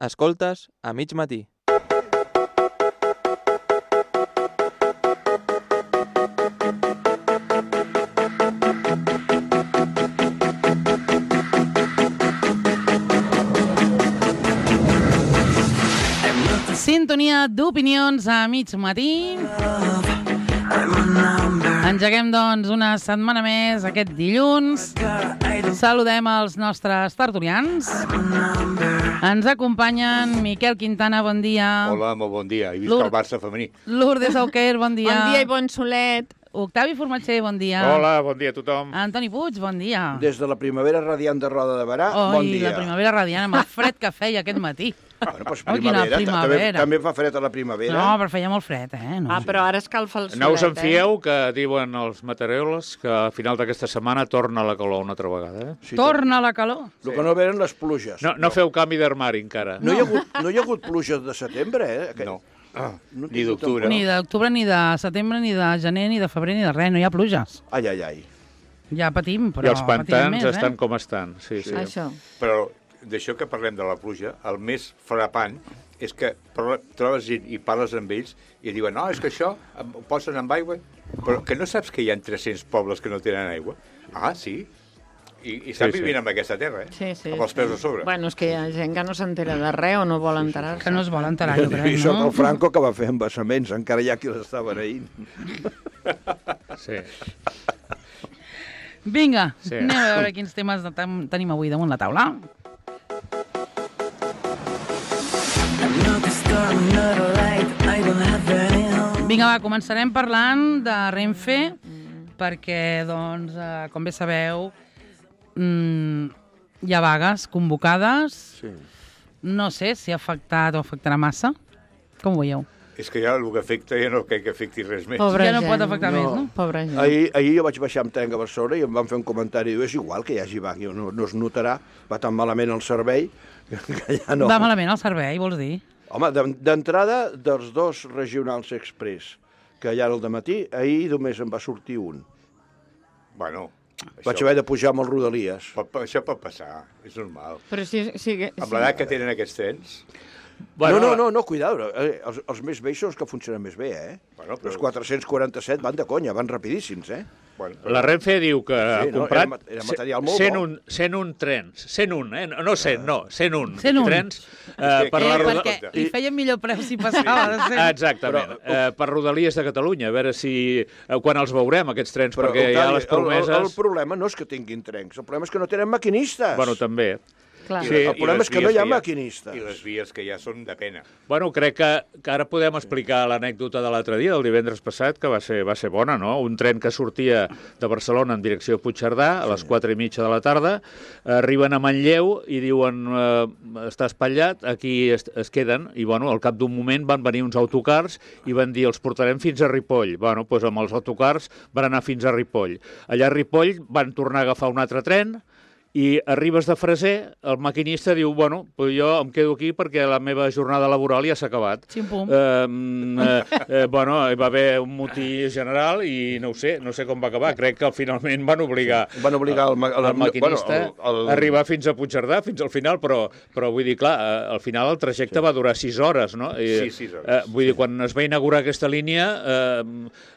Escoltes a mig matí. Sintonia d'opinions a mig matí. Engeguem, doncs, una setmana més aquest dilluns. Saludem els nostres tertulians. Ens acompanyen Miquel Quintana, bon dia. Hola, molt bon dia. I visca el Barça femení. Lourdes Auquer, bon dia. Bon dia i bon solet. Octavi Formatger, bon dia. Hola, bon dia a tothom. Antoni Puig, bon dia. Des de la primavera radiant de Roda de Berà, bon dia. La primavera radiant, amb el fred que feia aquest matí. Bueno, doncs primavera. També fa fred a la primavera. No, però feia molt fred, eh? No. Però ara escalfa el solet, No us en fieu, que diuen els meteoròlegs que a final d'aquesta setmana torna la calor una altra vegada. Sí, Torna la calor. El que no venen les pluges. No feu canvi d'armari encara. No hi ha hagut pluges de setembre, eh? No. Ni d'octubre. Ni d'octubre, ni de setembre, ni de gener, ni de febrer, ni de res. No hi ha pluges. Ai. Ja patim, però I els pantans més, estan com estan. Sí. Això. Però d'això que parlem de la pluja, el més frapant és que trobes gent i parles amb ells i diuen, no, és que això ho posen amb aigua, però que no saps que hi ha 300 pobles que no tenen aigua? Ah, sí? I estan vivint en aquesta terra, Sí. Amb els peus a sobre. Bueno, és que hi ha gent que no s'entera de res o no vol enterar-se. Que no es vol enterar, jo crec, I sóc no? el Franco que va fer embassaments, encara hi ha qui l'està beneint. Sí. Vinga, Sí. anem a veure quins temes tenim avui damunt la taula. Vinga, va, començarem parlant de Renfe, perquè, doncs, com bé sabeu, hi ha vagues convocades. Sí. No sé si ha afectat o afectarà massa. Com ho veieu? És que ja el que afecta ja no crec que afecti res més. Pobra Ja no gent. pot afectar més, no? Pobra gent. Ahir jo vaig baixar amb tren a Barcelona i em van fer un comentari. Diu, és igual que hi hagi vaga, no es notarà, va tan malament el servei que ja no. Va malament el servei, vols dir? Home, d'entrada dels dos regionals express que hi ha al dematí, ahir només en va sortir un. Bueno, Vaig haver de pujar amb els Rodalies. això pot passar, és normal. Però Amb l'edat que tenen aquests trens... Bueno, No, cuidado. Els més vells són els que funcionen més bé, eh? Bueno, però- Els 447 van de conya, van rapidíssims, eh? Bueno, la Renfe diu que ha Sí, no, comprat era material molt 101 trens. 101, no 100, no, 101 101. trens per la Perquè li feien millor preu si passava de 100. Exactament, per Rodalies de Catalunya, a veure si quan els veurem, aquests trens, perquè hi ha Octavi, les promeses... el problema no és que tinguin trens, el problema és que no tenen maquinistes. Bueno, també. Clar. Sí. El problema és que no hi ha maquinistes. I les vies que ja són de pena. Bueno, crec que ara podem explicar l'anècdota de l'altre dia, del divendres passat, que va ser bona, no? Un tren que sortia de Barcelona en direcció a Puigcerdà a les 4:30 de la tarda, arriben a Manlleu i diuen està espatllat, aquí es queden, i bueno, al cap d'un moment van venir uns autocars i van dir els portarem fins a Ripoll. Bueno, doncs amb els autocars van anar fins a Ripoll. Allà a Ripoll van tornar a agafar un altre tren, i arribes de Freser, el maquinista diu, bueno, pues jo em quedo aquí perquè la meva jornada laboral ja s'ha acabat. Xim-pum. Bueno, hi va haver un motí general i no sé com va acabar. Crec que finalment van obligar el maquinista a arribar fins a Puigcerdà, fins al final, però vull dir, clar, al final el trajecte va durar 6 hores, no? Sí, 6 hores. Vull dir, quan es va inaugurar aquesta línia,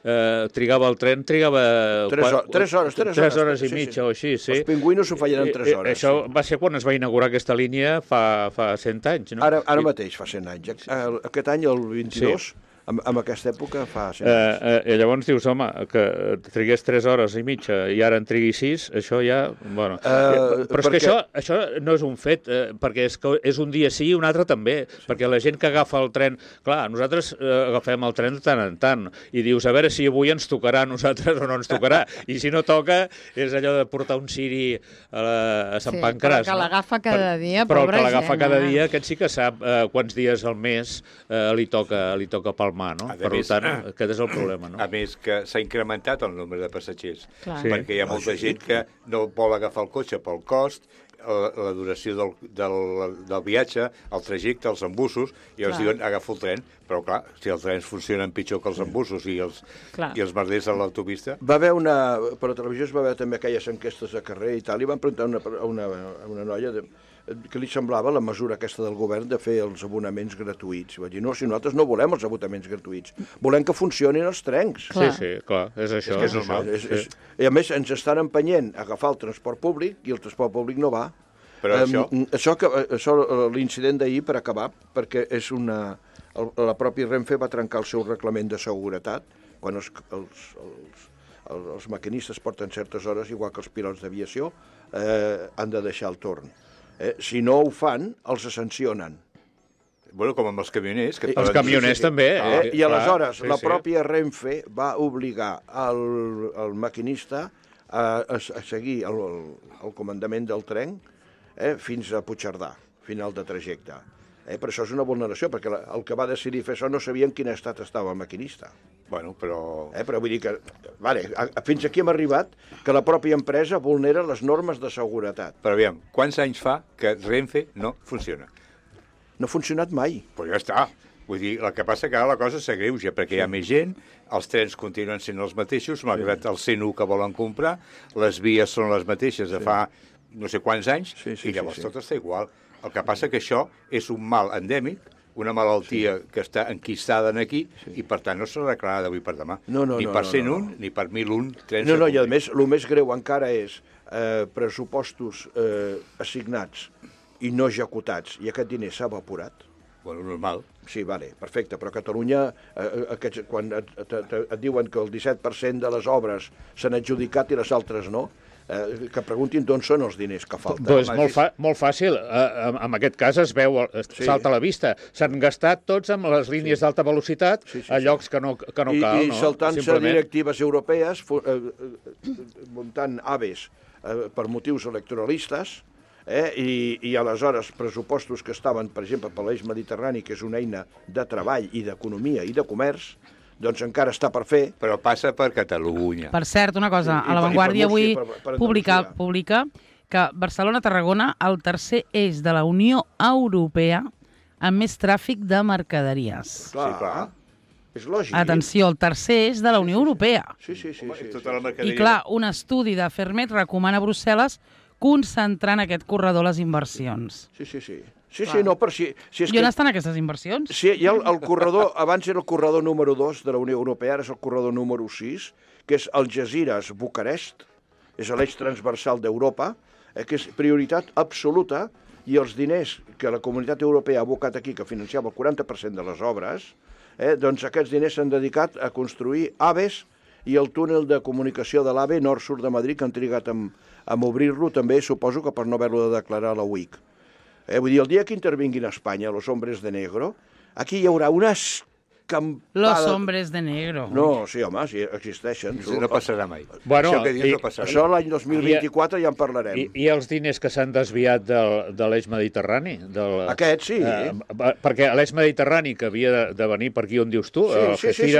el tren trigava... 3 hores i mitja o així, sí. Els pingüinos s'ho feien en 3 hores. Això va ser quan es va inaugurar aquesta línia fa 100 anys, no? Ara mateix fa 100 anys. Aquest any, el 22, en aquesta època fa 100 anys. I llavors dius, home, que trigués 3 hores i mitja i ara en trigui 6, això ja... Bueno, però és que això no és un fet, perquè és un dia sí i un altre també, perquè la gent que agafa el tren... Clar, nosaltres agafem el tren de tant en tant i dius, a veure si avui ens tocarà a nosaltres o no ens tocarà. I si no toca, és allò de portar un ciri a Sant Pancràs. Però que l'agafa cada dia, però pobra que l'agafa gent, cada dia, aquest sí que sap quants dies al mes li toca palmar, no? Per tant, aquest és el problema, no? A més, que s'ha incrementat el nombre de passatgers, Clar. perquè hi ha molta gent que no vol agafar el cotxe pel cost, la duració del viatge, el trajecte, els embussos, i els diuen agafa el tren, però clar, si els trens funcionen pitjor que els embussos i els merders a l'autopista... Va haver per la televisió es va veure també aquelles enquestes de carrer i tal, i van preguntar a una noia què li semblava la mesura aquesta del govern de fer els abonaments gratuïts. Va dir, no, si nosaltres no volem els abonaments gratuïts, volem que funcionin els trens. Clar. Sí, clar, és això. És que és normal. I a més ens estan empenyent a agafar el transport públic i el transport públic no va. Però Això l'incident d'ahir, per acabar, perquè és la pròpia Renfe va trencar el seu reglament de seguretat quan els maquinistes porten certes hores, igual que els pilots d'aviació, han de deixar el torn. Si no ho fan, els sancionen. Bueno, com amb els camioners. Els camioners també. I aleshores la pròpia Renfe va obligar el maquinista a seguir el comandament del tren fins a Puigcerdà, final de trajecte. Però això és una vulneració, perquè el que va decidir fer això no sabia en quin estat estava el maquinista. Bueno, però... Però vull dir que, fins aquí hem arribat que la pròpia empresa vulnera les normes de seguretat. Però aviam, quants anys fa que Renfe no funciona? No ha funcionat mai. Però ja està. Vull dir, el que passa que ara la cosa s'agreuja, perquè hi ha més gent, els trens continuen sent els mateixos, malgrat el 101 que volen comprar, les vies són les mateixes de fa no sé quants anys, i llavors tot està igual. El que passa que això és un mal endèmic, una malaltia que està enquistada aquí, i per tant no s'arreglarà d'avui per demà. Ni per 101, ni per 1001 trens. No, i a més, el més greu encara és pressupostos assignats i no executats, i aquest diner s'ha evaporat. Bueno, normal. Sí, perfecte, però a Catalunya, quan et diuen que el 17% de les obres s'han adjudicat i les altres no, que preguntin d'on són els diners que falten. Doncs molt fàcil. En aquest cas es veu, salta a la vista. S'han gastat tots amb les línies d'alta velocitat a llocs que no cal. I saltant-se directives europees, muntant AVEs per motius electoralistes, i aleshores pressupostos que estaven, per exemple, per l'eix mediterrani, que és una eina de treball i d'economia i de comerç, doncs encara està per fer. Però passa per Catalunya. Per cert, una cosa, a La Vanguardia avui publica que Barcelona-Tarragona, el tercer eix de la Unió Europea amb més tràfic de mercaderies. Clar. És lògic. Atenció, el tercer eix de la Unió Europea. Sí. Tota la mercaderia... I clar, un estudi de Fermet recomana a Brussel·les concentrar en aquest corredor les inversions. Sí, no, per si és I on estan aquestes inversions? Sí, hi ha el corredor, abans era el corredor número 2 de la Unió Europea, ara és el corredor número 6, que és Algesires-Bucarest, és l'eix transversal d'Europa, que és prioritat absoluta, i els diners que la Comunitat Europea ha abocat aquí, que financiava el 40% de les obres, doncs aquests diners s'han dedicat a construir AVEs i el túnel de comunicació de l'AVE nord-sud de Madrid, que han trigat a obrir-lo també, suposo que per no haver-lo de declarar a la UIC. Vull dir, el dia que intervinguin a Espanya los hombres de negro, aquí hi haurà unes campades... Los hombres de negro. No, sí, home, sí, existeixen. No passarà mai. Bueno, això que dius no passarà. Això l'any 2024 ja en parlarem. I els diners que s'han desviat de l'eix mediterrani? Aquest, sí. Perquè l'eix mediterrani, que havia de venir per aquí on dius tu, sí.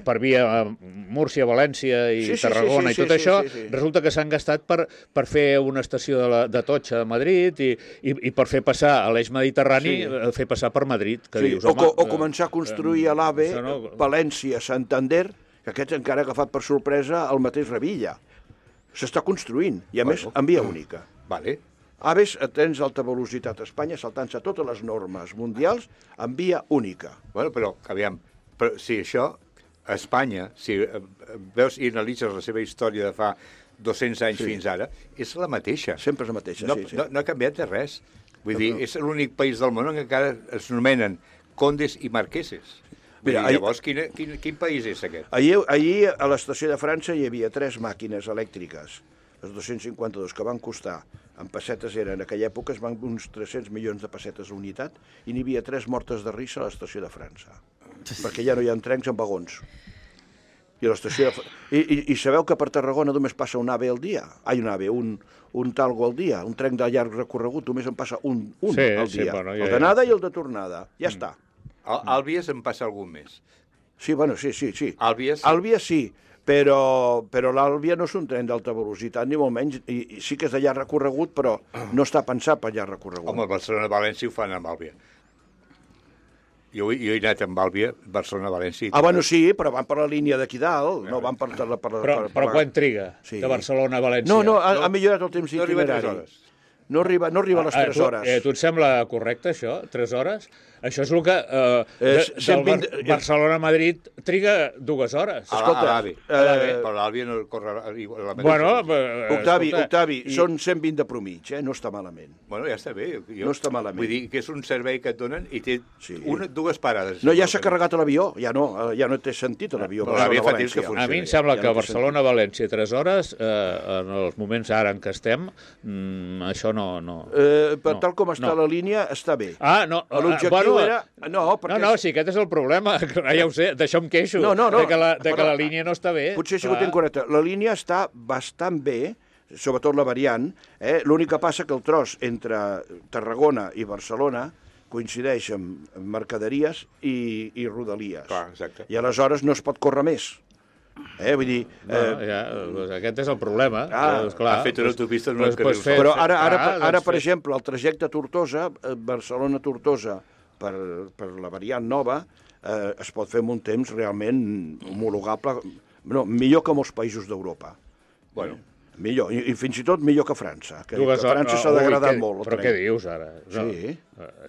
Per via Múrcia, València i Tarragona i tot això, resulta que s'han gastat per fer una estació de Totxa a Madrid i per fer passar a l'eix mediterrani, fer passar per Madrid. O començar a construir a l'AVE, València, Santander, que aquest encara ha agafat per sorpresa el mateix Revilla. S'està construint, i a més, en via única. Vale. AVEs, trens d'alta velocitat a Espanya, saltant-se totes les normes mundials, en via única. Bueno, però, aviam, si això, a Espanya, si veus i analitzes la seva història de fa 200 anys fins ara, és la mateixa. Sempre és la mateixa, No ha canviat de res. Vull dir, és l'únic país del món en què encara es nomenen condes i marqueses. Mira, llavors, quin país és aquest? Ahir a l'estació de França hi havia 3 màquines elèctriques, les 252, que van costar, en pessetes eren, en aquella època, es van uns 300 milions de pessetes a unitat, i n'hi havia 3 mortes de risa a l'estació de França, perquè ja no hi ha trens amb vagons. I a l'estació I sabeu que per Tarragona només passa un AVE al dia? Un talgo al dia, un tren de llarg recorregut, només en passa un al dia. El d'anada i el de tornada, ja està. Àlbies en passa algun més. Sí, sí. Àlbies sí, però l'Àlbia no és un tren d'alta velocitat, ni molt menys, i sí que és de llarg recorregut, però no està pensat per llarg recorregut. Home, Barcelona-València ho fan amb Àlbia. Jo he anat amb Àlbia, Barcelona-València. Bueno, sí, però van per la línia d'aquí dalt, no van per... Però quan triga, de Barcelona a València? No, ha millorat el temps itinerari. No arriba a les 3 hores. Tu et sembla correcte, això? 3 hores? Això és el que... Barcelona-Madrid triga 2 hores. A l'AVE. Però l'AVE no corre la mateixa. Bueno, Octavi, són 120 de promig, no està malament. Bueno, ja està bé. No està malament. Vull dir que és un servei que et donen i té dues parades. No, ja s'ha carregat l'avió, ja no té sentit l'avió. Però l'AVE fa temps que funciona. A mi em sembla que Barcelona-València 3 hores, en els moments ara en què estem, això no... Tal com està la línia, està bé. No. L'objectiu era... No, sí, aquest és el problema. Ja ho sé, d'això em queixo. De que la línia no està bé. Potser si ho tinc correcte. La línia està bastant bé, sobretot la variant. L'únic que passa que el tros entre Tarragona i Barcelona coincideix amb mercaderies i rodalies. Clar, exacte. I aleshores no es pot córrer més. Vull dir... Aquest és el problema. Ha fet una autopista en un carril. Però ara, per exemple, el trajecte Tortosa, Barcelona-Tortosa, per la variant nova, es pot fer en un temps realment homologable, millor que molts països d'Europa. Bueno, millor, i fins i tot millor que França, que 2 hores, França s'ha degradat molt. Però què dius ara? Sí.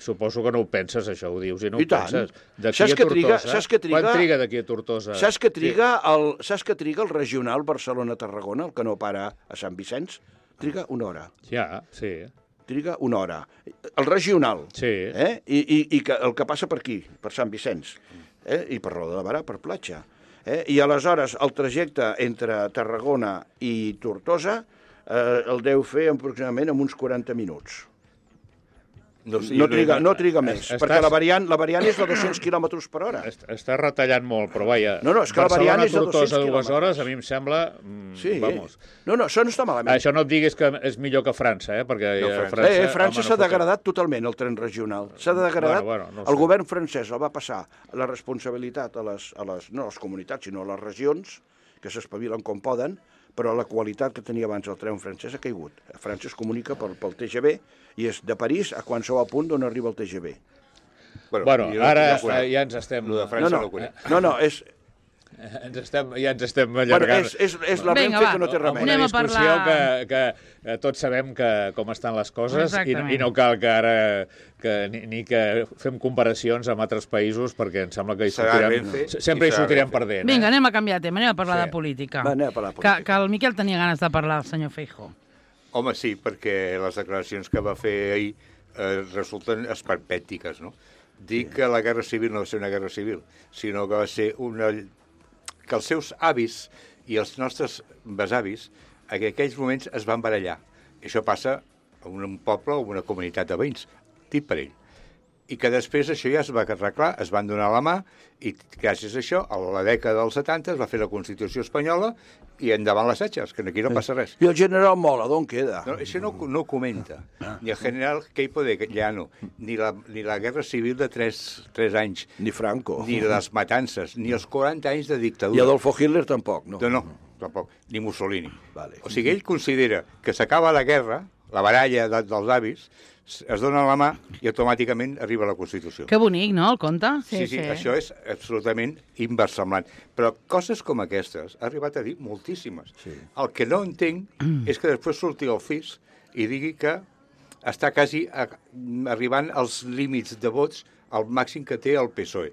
Suposo que no ho penses, això, ho dius, i no I ho tant. penses. Saps que triga... Quan triga d'aquí a Tortosa? Saps que triga el regional Barcelona-Tarragona, el que no para a Sant Vicenç? Triga 1 hora. Ja, sí. Triga 1 hora. El regional. Sí. I el que passa per aquí, per Sant Vicenç. I per Roda de Barà, per platja. I aleshores el trajecte entre Tarragona i Tortosa el deu fer aproximadament en uns 40 minuts. No triga més, perquè la variant és de 200 km per hora. Està retallant molt, però vaja... No, és que la variant és de 200 km. 2 hores, a mi em sembla... Sí. Vamos. No, això no està malament. Això no et diguis que és millor que França, perquè França s'ha degradat totalment, el tren regional. S'ha degradat. El govern francès el va passar la responsabilitat a les comunitats, sinó a les regions, que s'espavilen com poden, però la qualitat que tenia abans el tren francès ha caigut. França es comunica pel TGV i és de París a qualsevol punt d'on arriba el TGV. Bueno, ara ja ens estem... Lo de França no ho conec. No, és... Ja ens estem allargant. És la Renfe que no té remei. Una discussió que tots sabem com estan les coses i no cal que ara ni que fem comparacions amb altres països perquè em sembla que sempre hi sortirem perdent. Vinga, anem a canviar de tema, anem a parlar de política. Que el Miquel tenia ganes de parlar, el senyor Feijóo. Home, sí, perquè les declaracions que va fer ahir resulten esperpèntiques, no? Dir que la guerra civil no va ser una guerra civil, sinó que va ser que els seus avis i els nostres besavis en aquells moments es van barallar. I això passa en un poble o una comunitat de veïns, dit per ell. I que després això ja es va arreglar, es van donar la mà i gràcies a això, a la dècada dels 70 es va fer la Constitució espanyola i endavant les setges, que aquí no passa res. I el general Mola, d'on queda? No, això no comenta. Ni el general Queipo de Llano, ni la guerra civil de 3 anys. Ni Franco. Ni les matances, ni els 40 anys de dictadura. I Adolfo Hitler tampoc, no? No, tampoc. Ni Mussolini. Vale. O sigui, ell considera que s'acaba la guerra, la baralla dels avis, es dona la mà i automàticament arriba la Constitució. Que bonic, no, el conte? Sí, això és absolutament inversemblant. Però coses com aquestes ha arribat a dir moltíssimes. Sí. El que no entenc és que després surti el FIS i digui que està quasi arribant als límits de vots al màxim que té el PSOE,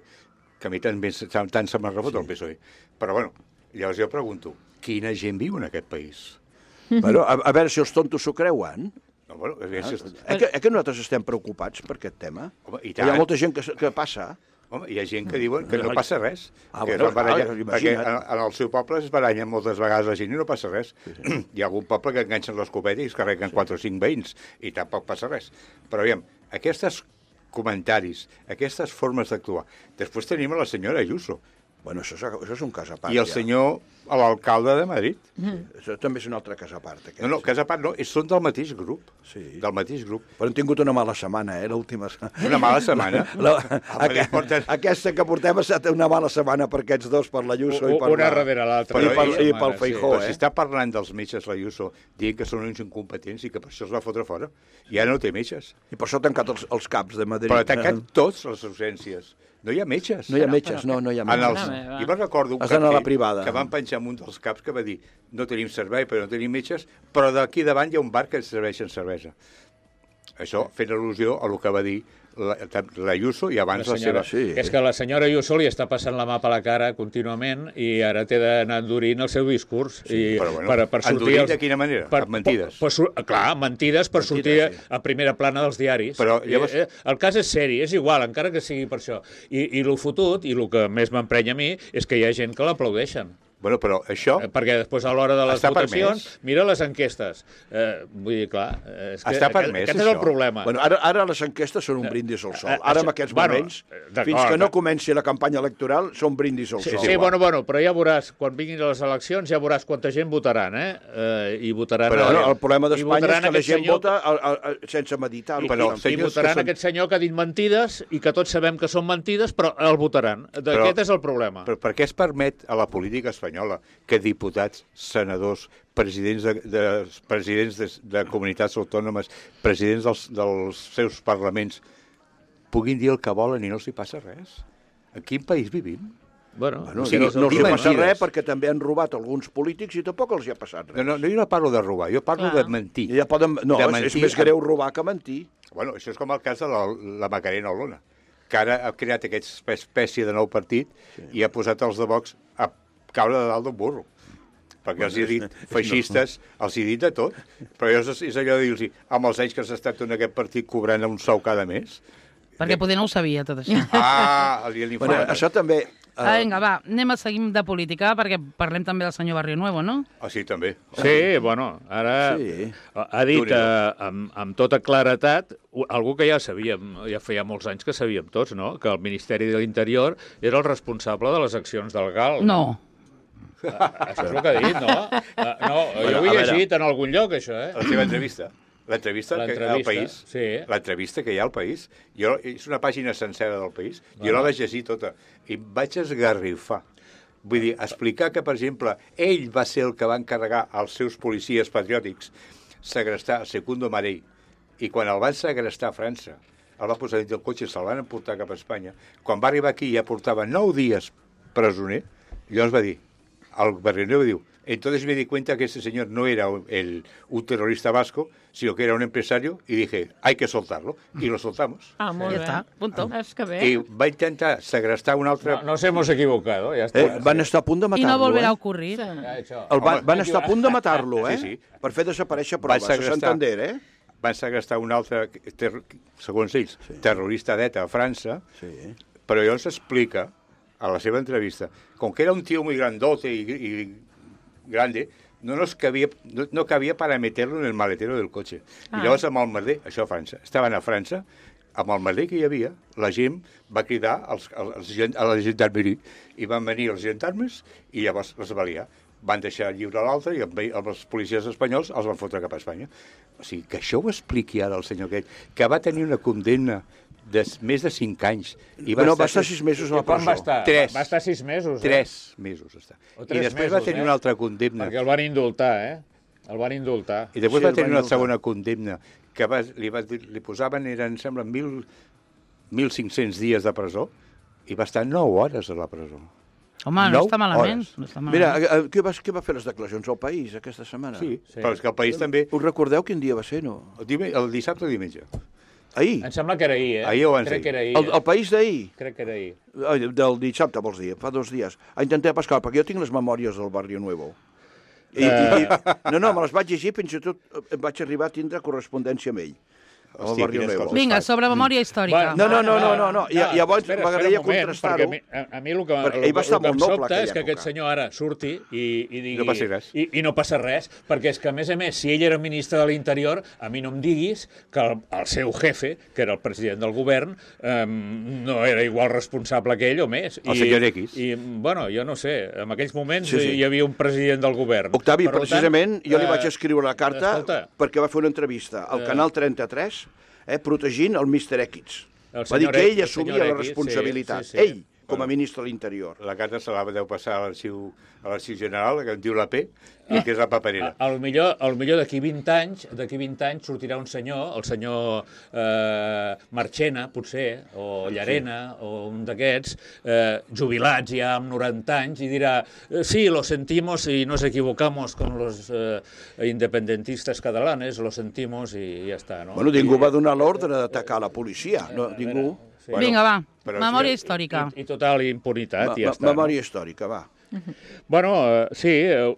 que a mi tant se m'ha rebut el PSOE. Però, bueno, llavors jo pregunto, quina gent viu en aquest país? Bueno, a veure si els tontos s'ho creuen. No, bueno, que nosaltres estem preocupats per aquest tema? Home, i tant. Hi ha molta gent que passa. Home, hi ha gent que diuen que no passa res. Imagina't. Perquè en el seu poble es barallen moltes vegades la gent i no passa res. Hi ha algun poble que enganxen l'escopeta i es carreguen 4 o 5 veïns i tampoc passa res. Però aviam, aquests comentaris, aquestes formes d'actuar. Després tenim a la senyora Ayuso. Bueno, això és un cas a part. I el senyor, l'alcalde de Madrid. Això també és un altre cas a part. No, cas a part no, són del mateix grup. Sí. Del mateix grup. Però hem tingut una mala setmana, l'última. Una mala setmana? Aquesta que portem ha estat una mala setmana per aquests dos, per l'Ayuso i per... Una darrere l'altra. I pel Feijóo, Però si està parlant dels metges l'Ayuso, dient que són uns incompetents i que per això es va fotre fora, ja no té metges. I per això ha tancat els CAPs de Madrid. Però ha tancat tots les urgències. No hi ha metges. No hi ha metges, no hi ha metges. Jo me'n recordo un cap que van penjar en un dels caps que va dir no tenim servei, però no tenim metges, però d'aquí davant hi ha un bar que ens serveixen cervesa. Això fent al·lusió a el que va dir l'Ayuso i abans la seva... Sí. És que la senyora Ayuso li està passant la mà per la cara contínuament i ara té d'anar endurint el seu discurs. Però bueno, endurint de quina manera? Amb mentides. Clar, mentides per sortir a primera plana dels diaris. Però llavors... El cas és seri, és igual, encara que sigui per això. I el fotut, i el que més m'emprenya a mi, és que hi ha gent que l'aplaudeixen. Bueno, però això... Perquè després, a l'hora de les votacions, mira les enquestes. Vull dir, clar, és que està permès, aquest és el problema. Bueno, ara les enquestes són un brindis al sol. Ara, en aquests moments, fins que no comenci la campanya electoral, són brindis al sol. Sí, bueno, però ja veuràs, quan vinguin les eleccions, ja veuràs quanta gent votaran, I votaran... Però el problema d'Espanya és que la gent vota sense meditar-ho. I votaran aquest senyor que ha dit mentides i que tots sabem que són mentides, però el votaran. Aquest és el problema. Però per què es permet a la política espanyola que diputats, senadors, presidents de comunitats autònomes, presidents dels seus parlaments, puguin dir el que volen i no els hi passa res? En quin país vivim? Bueno, no els hi passa res perquè també han robat alguns polítics i tampoc els hi ha passat res. No, jo no parlo de robar, jo parlo de mentir. És més greu robar que mentir. Bueno, això és com el cas de la Macarena Olona, que ara ha creat aquesta espècie de nou partit i ha posat els de Vox a caure de dalt d'un burro. Perquè els he dit feixistes, els he dit de tot, però és allò de dir-los, amb els anys que has estat en aquest partit cobrant un sou cada mes... Perquè poder no ho sabia, tot això. Bueno, això també... Vinga, va, anem a seguir de política, perquè parlem també del senyor Barrio Nuevo, no? Sí, també. Sí, bueno, ara ha dit amb tota claretat algú que ja sabíem, ja feia molts anys que sabíem tots, no?, que el Ministeri de l'Interior era el responsable de les accions del GAL. No. Això és el que ha dit, no? No, jo ho he llegit en algun lloc, això, La seva entrevista. L'entrevista que hi ha al País. Sí. L'entrevista que hi ha al País. És una pàgina sencera del País. Jo la vaig llegir tota. I em vaig esgarrifar. Vull dir, explicar que, per exemple, ell va ser el que va encarregar als seus policies patriòtics segrestar Secundo Marell. I quan el van segrestar a França, el va posar dins del cotxe i se'l van emportar cap a Espanya. Quan va arribar aquí ja portava 9 dies presoner, llavors va dir, el Barrio diu, entonces me di cuenta que este señor no era un terrorista vasco, sino que era un empresario, y dije, hay que soltarlo, y lo soltamos. Molt bé. Ja està, punto. És que bé. I va intentar segrestar un altre... Nos hemos equivocado, ja està. Van estar a punt de I matar-lo, no volverà a ocurrir. Van estar a punt de matar-lo, Sí. Per fer desaparèixer proves, a Santander, Van segrestar un altre, segons ells, terrorista d'ETA a França, però llavors explica, a la seva entrevista, com que era un tío muy grandote y grande, no cabía para meterlo en el maletero del cotxe. I llavors amb el merder, això a França, estaven a França, amb el merder que hi havia, la gent va cridar a la gendarmeria i van venir els gendarmes i llavors les va liar. Van deixar lliure l'altre i els policies espanyols els van fotre cap a Espanya. O sigui, que això ho expliqui ara el senyor aquest, que va tenir una condemna de més de 5 anys. I va estar 6 mesos a la presó. Va estar 6 mesos. 3 mesos està. I després va tenir una altra condemna. Perquè el van indultar, El van indultar. I després va tenir una segona condemna que li posaven, em sembla, 1.500 dies de presó i va estar 9 hores a la presó. Home, no està malament. Mira, què va fer les declaracions al País aquesta setmana? Sí, però és que el País també... Us recordeu quin dia va ser, no? El dissabte o diumenge. Ahir? Em sembla que era ahir, Ahir o abans Crec que era ahir. El País d'ahir? Crec que era ahir. Del dissabte, vols dir? Fa 2 dies. Intenté pescar, perquè jo tinc les memòries del Barrio Nuevo. No, me les vaig llegir, fins i tot vaig arribar a tindre correspondència amb ell. Hòstia, vinga, sobre memòria històrica. No. Llavors m'agradaria contrastar-ho. A mi el que em sobta és que aquest senyor ara surti i digui... No passa res. I no passa res, perquè és que, a més, si ell era ministre de l'Interior, a mi no em diguis que el seu jefe, que era el president del govern, no era igual responsable que ell o més. El senyor X. I, bueno, jo no sé, en aquells moments hi havia un president del govern. Octavi, precisament, jo li vaig escriure la carta perquè va fer una entrevista al Canal 33 protegint el Mr. X. Va dir que ell assumia la responsabilitat. Ell com a ministre de l'Interior. La carta se la deu passar a l'Arxiu General, que en diu la P, i que és la paperera. A lo millor d'aquí 20 anys sortirà un senyor, el senyor Marchena, potser, o Llarena, o un d'aquests, jubilats ja amb 90 anys, i dirà, sí, lo sentimos y nos equivocamos con los independentistas catalanes, lo sentimos i ja està, no? Bueno, ningú va donar l'ordre d'atacar la policia, no, ningú. Sí. Vinga, va, però memòria històrica. I total impunitat, i ja està. Memòria històrica, va. Bueno, sí,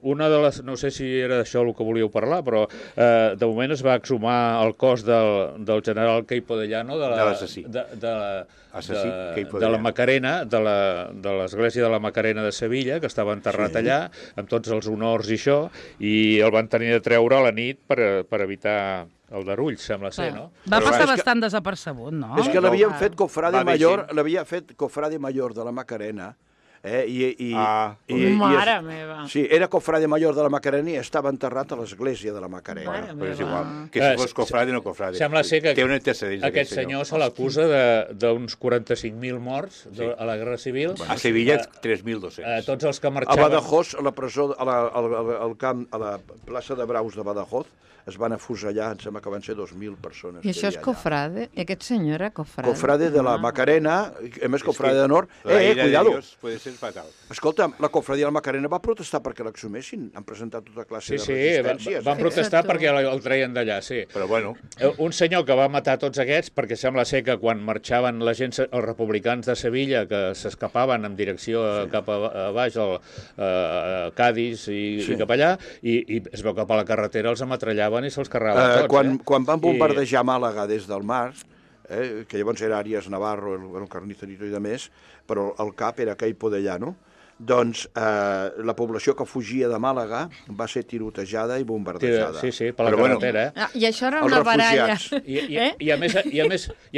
una de les... No sé si era d'això el que volíeu parlar, però de moment es va exhumar el cos del general Queipo de Llano, De l'assassí. Assassí, Queipo de de la Llano. Macarena, de l'església de la Macarena de Sevilla, que estava enterrat allà, amb tots els honors i això, i el van tenir de treure a la nit per evitar el darull, sembla ser, no? Va Però passar és que- bastant desapercebut, no? És que l'havien fet Va bé, l'havia fet cofrade mayor de la Macarena, i Mare meva. sí, era cofrade mayor de la Macarena i estava enterrat a l'església de la Macarena. Mare Però és meva. igual, que si fos cofrade o no cofrade. Sembla ser que Té un antecedent, aquest senyor se l'acusa d'uns 45.000 morts a la Guerra Civil. A Sevilla, 3.200. Tots els que A marxaven... Badajoz, a la presó, al camp, a la plaça de Braus de Badajoz, es van afusellar, em sembla que van ser 2.000 persones. I això és cofrade? Aquest senyor era cofrade? Cofrade de la Macarena, a més cofrade d'honor. La ira de Cuidado. Dios puede ser fatal. Escolta, la cofradia de la Macarena va protestar perquè l'exhumessin. Han presentat tota classe Sí, de sí, resistències. van protestar Fixa't tu. perquè el treien d'allà, sí. Però bueno, Un senyor que va matar tots aquests, perquè sembla ser que quan marxaven la gent, els republicans de Sevilla, que s'escapaven en direcció cap a baix, a Cádiz i cap allà, i es veu que per la carretera els ametrellaven i se'ls carregaven tots. Quan van bombardejar Màlaga des del mar, que llavors era Arias Navarro, el Carnicerito i de més, però el cap era Queipo de Llano, doncs la població que fugia de Màlaga va ser tirotejada i bombardejada. Sí, per la Però bueno, carretera, Ah, I això era Els una baralla. refugiats. I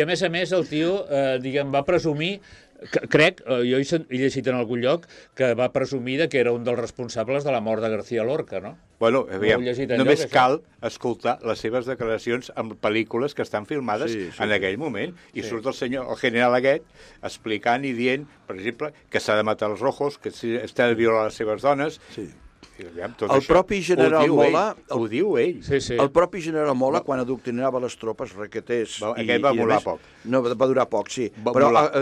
a més el tio, diguem, va presumir, crec, jo he llegit en algun lloc, que va presumir que era un dels responsables de la mort de García Lorca, no? bueno, aviam, Ho heu llegit enlloc, només això? cal escoltar les seves declaracions en pel·lícules que estan filmades Sí, en aquell moment. I surt el general aquest, explicant i dient, per exemple, que s'ha de matar els rojos, que s'ha de violar les seves dones. Sí. I, aviam, tot El això propi general Mola... Ho diu ell. Sí. El propi general Mola, quan adoctrinava les tropes requetés... Aquest va molar poc. No, va durar poc, sí. Va Però molar.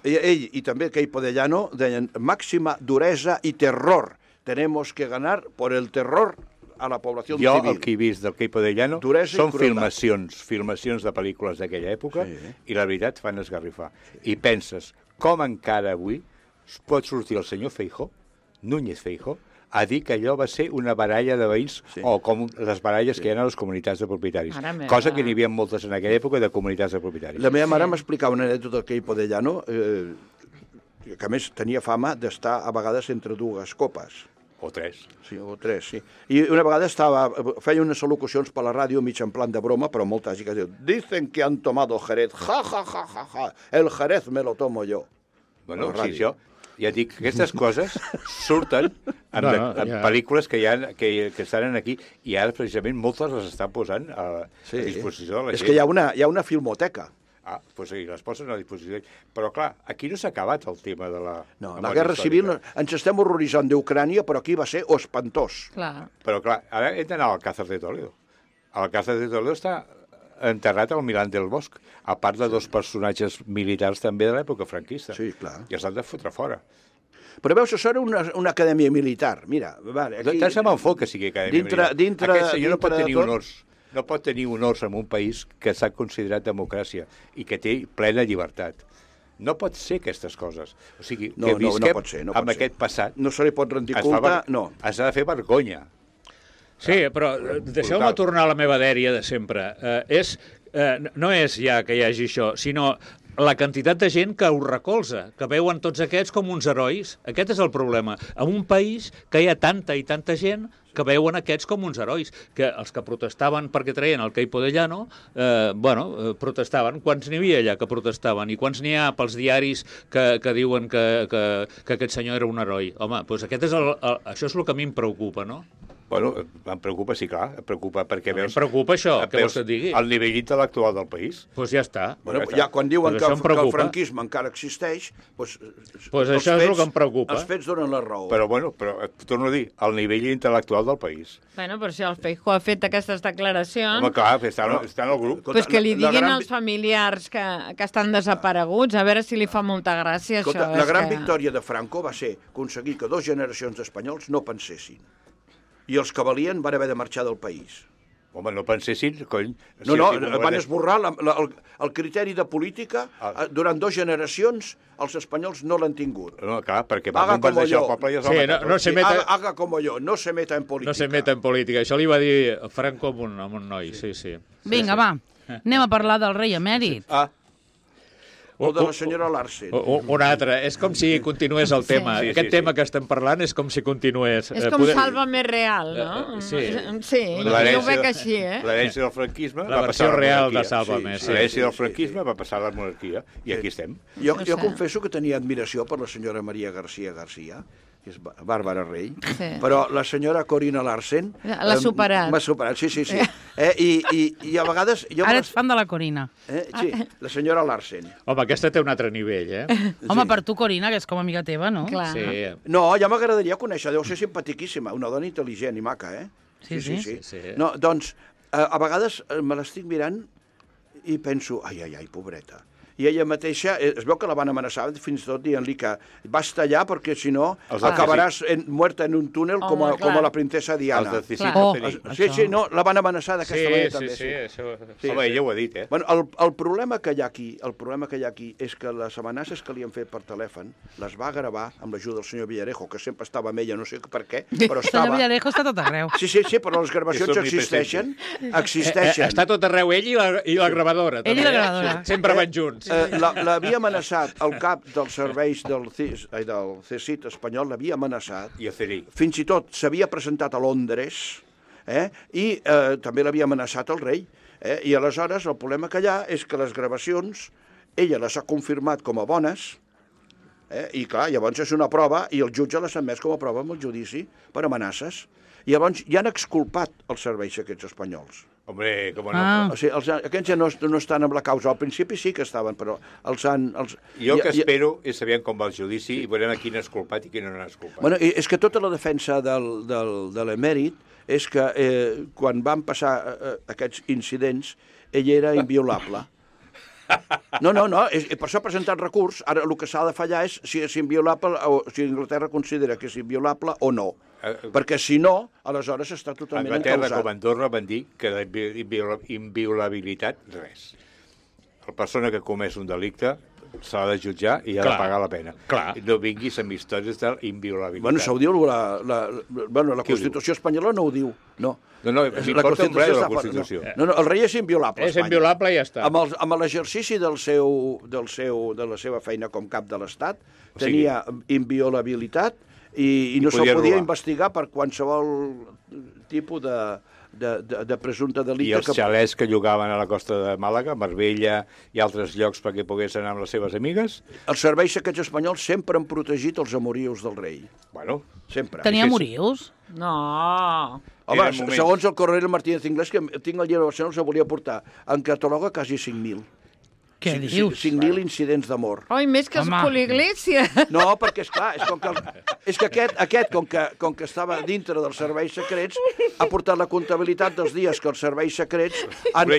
ell i també Queipo de Llano deien màxima duresa i terror. Tenemos que ganar por el terror a la població Jo civil. el que he vist del Queipo de Llano Duresa i són crueltat. filmacions de pel·lícules d'aquella època Sí. i la veritat fan esgarrifar. I penses, com encara avui pot sortir el senyor Feijóo, Núñez Feijóo, a dir que allò va ser una baralla de veïns, Sí. o com les baralles que hi ha a les comunitats de propietaris. Mare meva. Cosa que n'hi havia moltes en aquella època de comunitats de propietaris. La meva mare m'explicava una anècdota del Queipo de Llano, que a més tenia fama d'estar a vegades entre dues copes. O tres. Sí, o tres, sí. I una vegada feia unes al·locucions per la ràdio mig en plan de broma, però molt tràgica. Diu, dicen que han tomado Jerez, ja, ja, ja, ja, ja, el Jerez me lo tomo yo. Bueno, La sí, ràdio. això, ja et dic, aquestes coses surten en ja. pel·lícules que estan aquí i ara precisament moltes les estan posant a disposició de la gent. És que hi ha una filmoteca. Ah, doncs sí, les posen a disposició. Però, clar, aquí no s'ha acabat el tema de la... No, la memòria guerra civil, històrica. ens estem horroritzant d'Ucrània, però aquí va ser espantós. Clar. Però, clar, ara hem d'anar al Alcázar de Toledo. Alcázar de Toledo està enterrat al Milán del Bosch, a part de dos personatges militars també de l'època franquista. Sí, clar. I els han de fotre fora. Però veus, això era una acadèmia militar. Mira, vale, aquí... Tant se me'n fot que sigui acadèmia militar. Aquest senyor no pot dintre de tenir tot- honors. No pot tenir honors en un país que s'ha considerat democràcia i que té plena llibertat. No pot ser aquestes coses. O sigui, No, que no visquem pot ser, amb aquest passat. No se li pot rendir Es fa culte, ver- no. Has de fer vergonya. Sí, però deixeu-me Brutal. tornar a la meva dèria de sempre. No és ja que hi hagi això, sinó la quantitat de gent que ho recolza, que veuen tots aquests com uns herois. Aquest és el problema. En un país que hi ha tanta i tanta gent que veuen aquests com uns herois, que els que protestaven perquè traien el Queipo de Llano, protestaven. Quants n'hi havia allà que protestaven? I quants n'hi ha pels diaris que diuen que aquest senyor era un heroi? Home, doncs això és el que a mi em preocupa, no? Bueno, em preocupa, sí, clar, em preocupa, perquè Em preocupa això, què vols que et digui? El nivell intel·lectual del país. Doncs ja està. Bueno, ja quan diuen Pues que això em el preocupa. franquisme encara existeix, doncs, Pues els això és el fets- que em preocupa. Els fets donen la raó. Però, bueno, torno a dir, el nivell intel·lectual del país. Bueno, però si el Feijóo ha fet aquestes declaracions, Home, clar, està en el grup. Escolta, pues que li la diguin gran als familiars que estan desapareguts, a veure si li fa molta gràcia Escolta, això. la és gran que... victòria de Franco va ser aconseguir que 2 generacions d'espanyols no pensessin. I els que valien van haver de marxar del país. Home, no pensessin, cony... No, van esborrar el criteri de política. Durant 2 generacions els espanyols no l'han tingut. No, clar, perquè va Haga como bombardejar yo. el poble i els va Sí, matar. no se meta... Haga como yo, no se meta en política. No se meta en política. Això li va dir Franco a un noi, sí. Vinga, va, anem a parlar del rei emèrit. O de la senyora Larsen. Un altre. És com si continués el tema. Sí, Aquest sí. tema que estem parlant és com si continués. És com Sálvame Real, no? Sí. Sí, jo ho veig així, L'herència del franquisme La va versió passar a la real monarquia. de Sálvame, sí. L'herència del franquisme va passar a la monarquia. I aquí estem. Jo confesso que tenia admiració per la senyora Maria García, que és Bàrbara Rey, Sí. però la senyora Corina Larsen... L'ha superat. M'ha superat, sí. I a vegades... Ara ets fan de la Corina. Sí, la senyora Larsen. Home, aquesta té un altre nivell, Home, per tu, Corina, que és com amiga teva, no? Clar. Sí. No, ja m'agradaria conèixer, deu ser simpatiquíssima, una dona intel·ligent i maca, eh? Sí. No, doncs, a vegades me l'estic mirant i penso, ai, pobreta. I ella mateixa, es veu que la van amenaçar fins i tot dient-li que basta allà perquè si no acabaràs muerta en un túnel com a la princesa Diana. Els de Oh. Sí, no, la van amenaçar d'aquesta manera també. Sí. Home, ella ho ha dit, eh? Bueno, el problema que hi ha aquí és que les amenaces que li han fet per telèfon les va gravar amb l'ajuda del senyor Villarejo, que sempre estava amb ella, no sé per què, però El senyor estava... Villarejo està tot arreu. Sí, però les gravacions existeixen. Està tot arreu ell i la gravadora. Ell i també. la gravadora. Sempre van junts. L'havia amenaçat el cap dels serveis del CSIC espanyol, l'havia amenaçat. I a Cerí. Fins i tot s'havia presentat a Londres i també l'havia amenaçat el rei. I aleshores el problema que hi ha és que les gravacions ella les ha confirmat com a bones i clar, llavors és una prova i el jutge les ha admès com a prova amb el judici per amenaces. I llavors ja han exculpat els serveis aquests espanyols. Hombre, com no. O sigui, aquests ja no estan amb la causa. Al principi sí que estaven, però els han... Jo que espero és saber com va el judici i veurem a quin és culpat i quin no n'és culpat. Bueno, és que tota la defensa de l'emèrit és que quan van passar aquests incidents, ell era inviolable. No, per això ha presentat recurs. Ara el que s'ha de fallar és si és inviolable o si Anglaterra considera que és inviolable o no. Perquè si no, aleshores està totalment Anglaterra encausat. com Andorra van dir que la inviolabilitat, res. La persona que comès un delicte s'ha de jutjar i ha de pagar la pena. Clar. No vinguis amb històries d'inviolabilitat. Bueno, això ho diu la Constitució espanyola no ho diu, no. No, m'importa un res la Constitució. No, el rei és inviolable a És Espanya. inviolable i ja està. Amb l'exercici de la seva feina com cap de l'Estat, tenia inviolabilitat i no se'l podia investigar per qualsevol tipus de presumpte delicte. I els xalets que llogaven a la costa de Màlaga, Marbella i altres llocs perquè pogués anar amb les seves amigues? Els serveis secrets espanyols sempre han protegit els amorius del rei. Bueno, Sempre. Tenia amorius? No. Home, Eren moments. segons el Coronel Martínez Inglés, que tinc el llibre de Barcelona, els volia portar, en cataloga quasi 5.000. Què dius? 5.000 incidents d'amor. Oi, més que Home. Escolà-Iglésia. No, perquè, esclar, és que aquest com que estava dintre dels serveis secrets, ha portat la comptabilitat dels dies que els serveis secrets han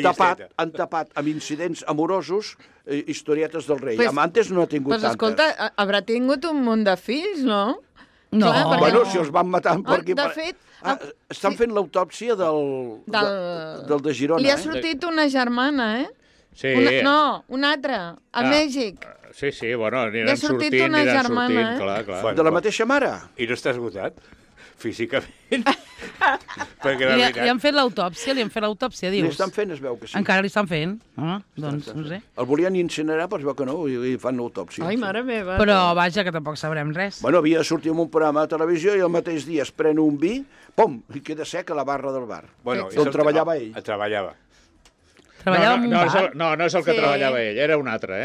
tapat amb incidents amorosos historietes del rei. Antes no ha tingut Pues tantes. escolta, haurà tingut un munt de fills, no? No. Clar, perquè Bueno, si els van matar per aquí... de fet... estan fent l'autòpsia del de Girona. Li ha sortit una germana, Sí. Una altra, a Mèxic. Sí, bueno, Li ha sortit una germana, clar. De la mateixa mare? I no està esgotat, físicament? Perquè Li han fet l'autòpsia, Li dius? estan fent, es veu que sí. Encara li estan fent? Doncs no sé. El volien incinerar, però es veu que no, i fan l'autòpsia. Ai, mare meva. Però vaja, que tampoc sabrem res. Bueno, havia de sortir en un programa de televisió i el mateix dia es pren un vi, pom, i queda sec a la barra del bar. Bueno, D'on treballava ell. Treballava. Treballava en un bar. No és el que treballava ell, era un altre,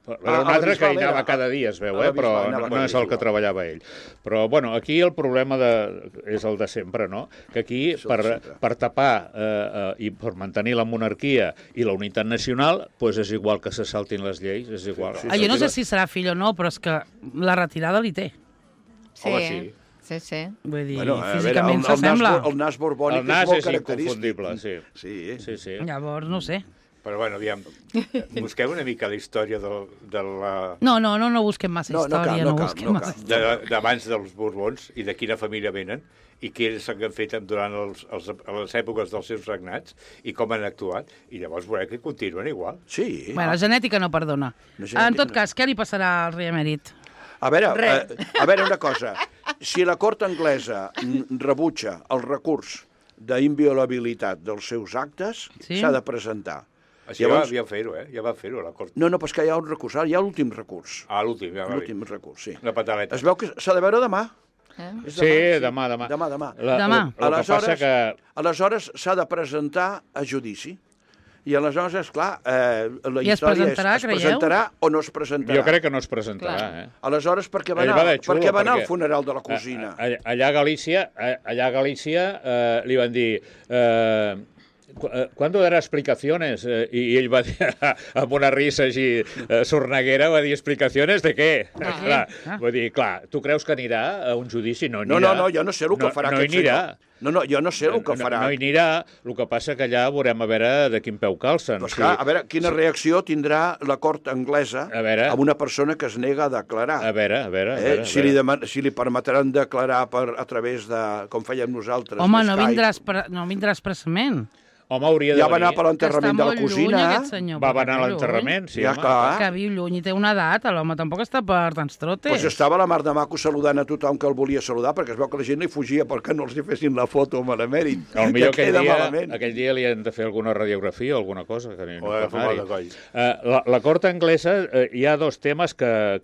Era un altre que hi anava cada dia, es veu, però no és el que treballava ell. Però, bueno, aquí el problema és el de sempre, no? Que aquí, per tapar i per mantenir la monarquia i la unitat nacional, doncs és igual que se saltin les lleis, és igual. Jo no sé si serà fill o no, però és que la retirada li té. Home, sí. Sí. Vull dir, físicament s'assembla. El nas borbònic és molt característic. El nas és inconfundible, sí. Llavors, no sé. Però, bueno, aviam, busqueu una mica la història de la... No busquem massa història, no busquem massa història. D'abans dels Borbons i de quina família venen i què s'han fet durant les èpoques dels seus regnats i com han actuat, i llavors veureu que continuen igual. Sí. Bueno, la genètica no perdona. En tot cas, què li passarà al rei emèrit? A veure una cosa. Si la cort anglesa rebutja el recurs d'inviolabilitat dels seus actes, s'ha de presentar. Això ja va fer-ho, Ja va fer-ho, la cort. No, però és que hi ha un recurs, hi ha l'últim recurs. L'últim, ja va. L'últim recurs, sí. La pataleta. Es veu que s'ha de veure demà. Sí, demà. Aleshores s'ha de presentar a judici. I aleshores, esclar, la història es presentarà o no es presentarà. Jo crec que no es presentarà. Aleshores, per què va anar al funeral de la cosina? Allà a Galícia li van dir... ¿Cuándo dará explicaciones? I ell va dir, amb una risa així sorneguera, va dir, explicacions de què? Vull dir, clar, tu creus que anirà a un judici? No anirà. No, jo no sé el que farà aquest senyor. No, jo no sé el que farà. No hi anirà, el que passa que allà veurem a veure de quin peu calcen. Però esclar, a veure, quina reacció tindrà la cort anglesa amb una persona que es nega a declarar. A veure. Si li permetran declarar a través de, com fèiem nosaltres, home, no vindrà expressament. Home, hauria de venir. Ja va anar per l'enterrament de la cosina. Va anar a l'enterrament, sí. Ja, clar. Que viu lluny i té una edat, l'home tampoc està per tants trotes. Doncs estava la mar de maco saludant a tothom que el volia saludar, perquè es veu que la gent li fugia perquè no els hi fessin la foto amb l'emèrit. Potser aquell dia li han de fer alguna radiografia o alguna cosa. La cort anglesa hi ha dos temes que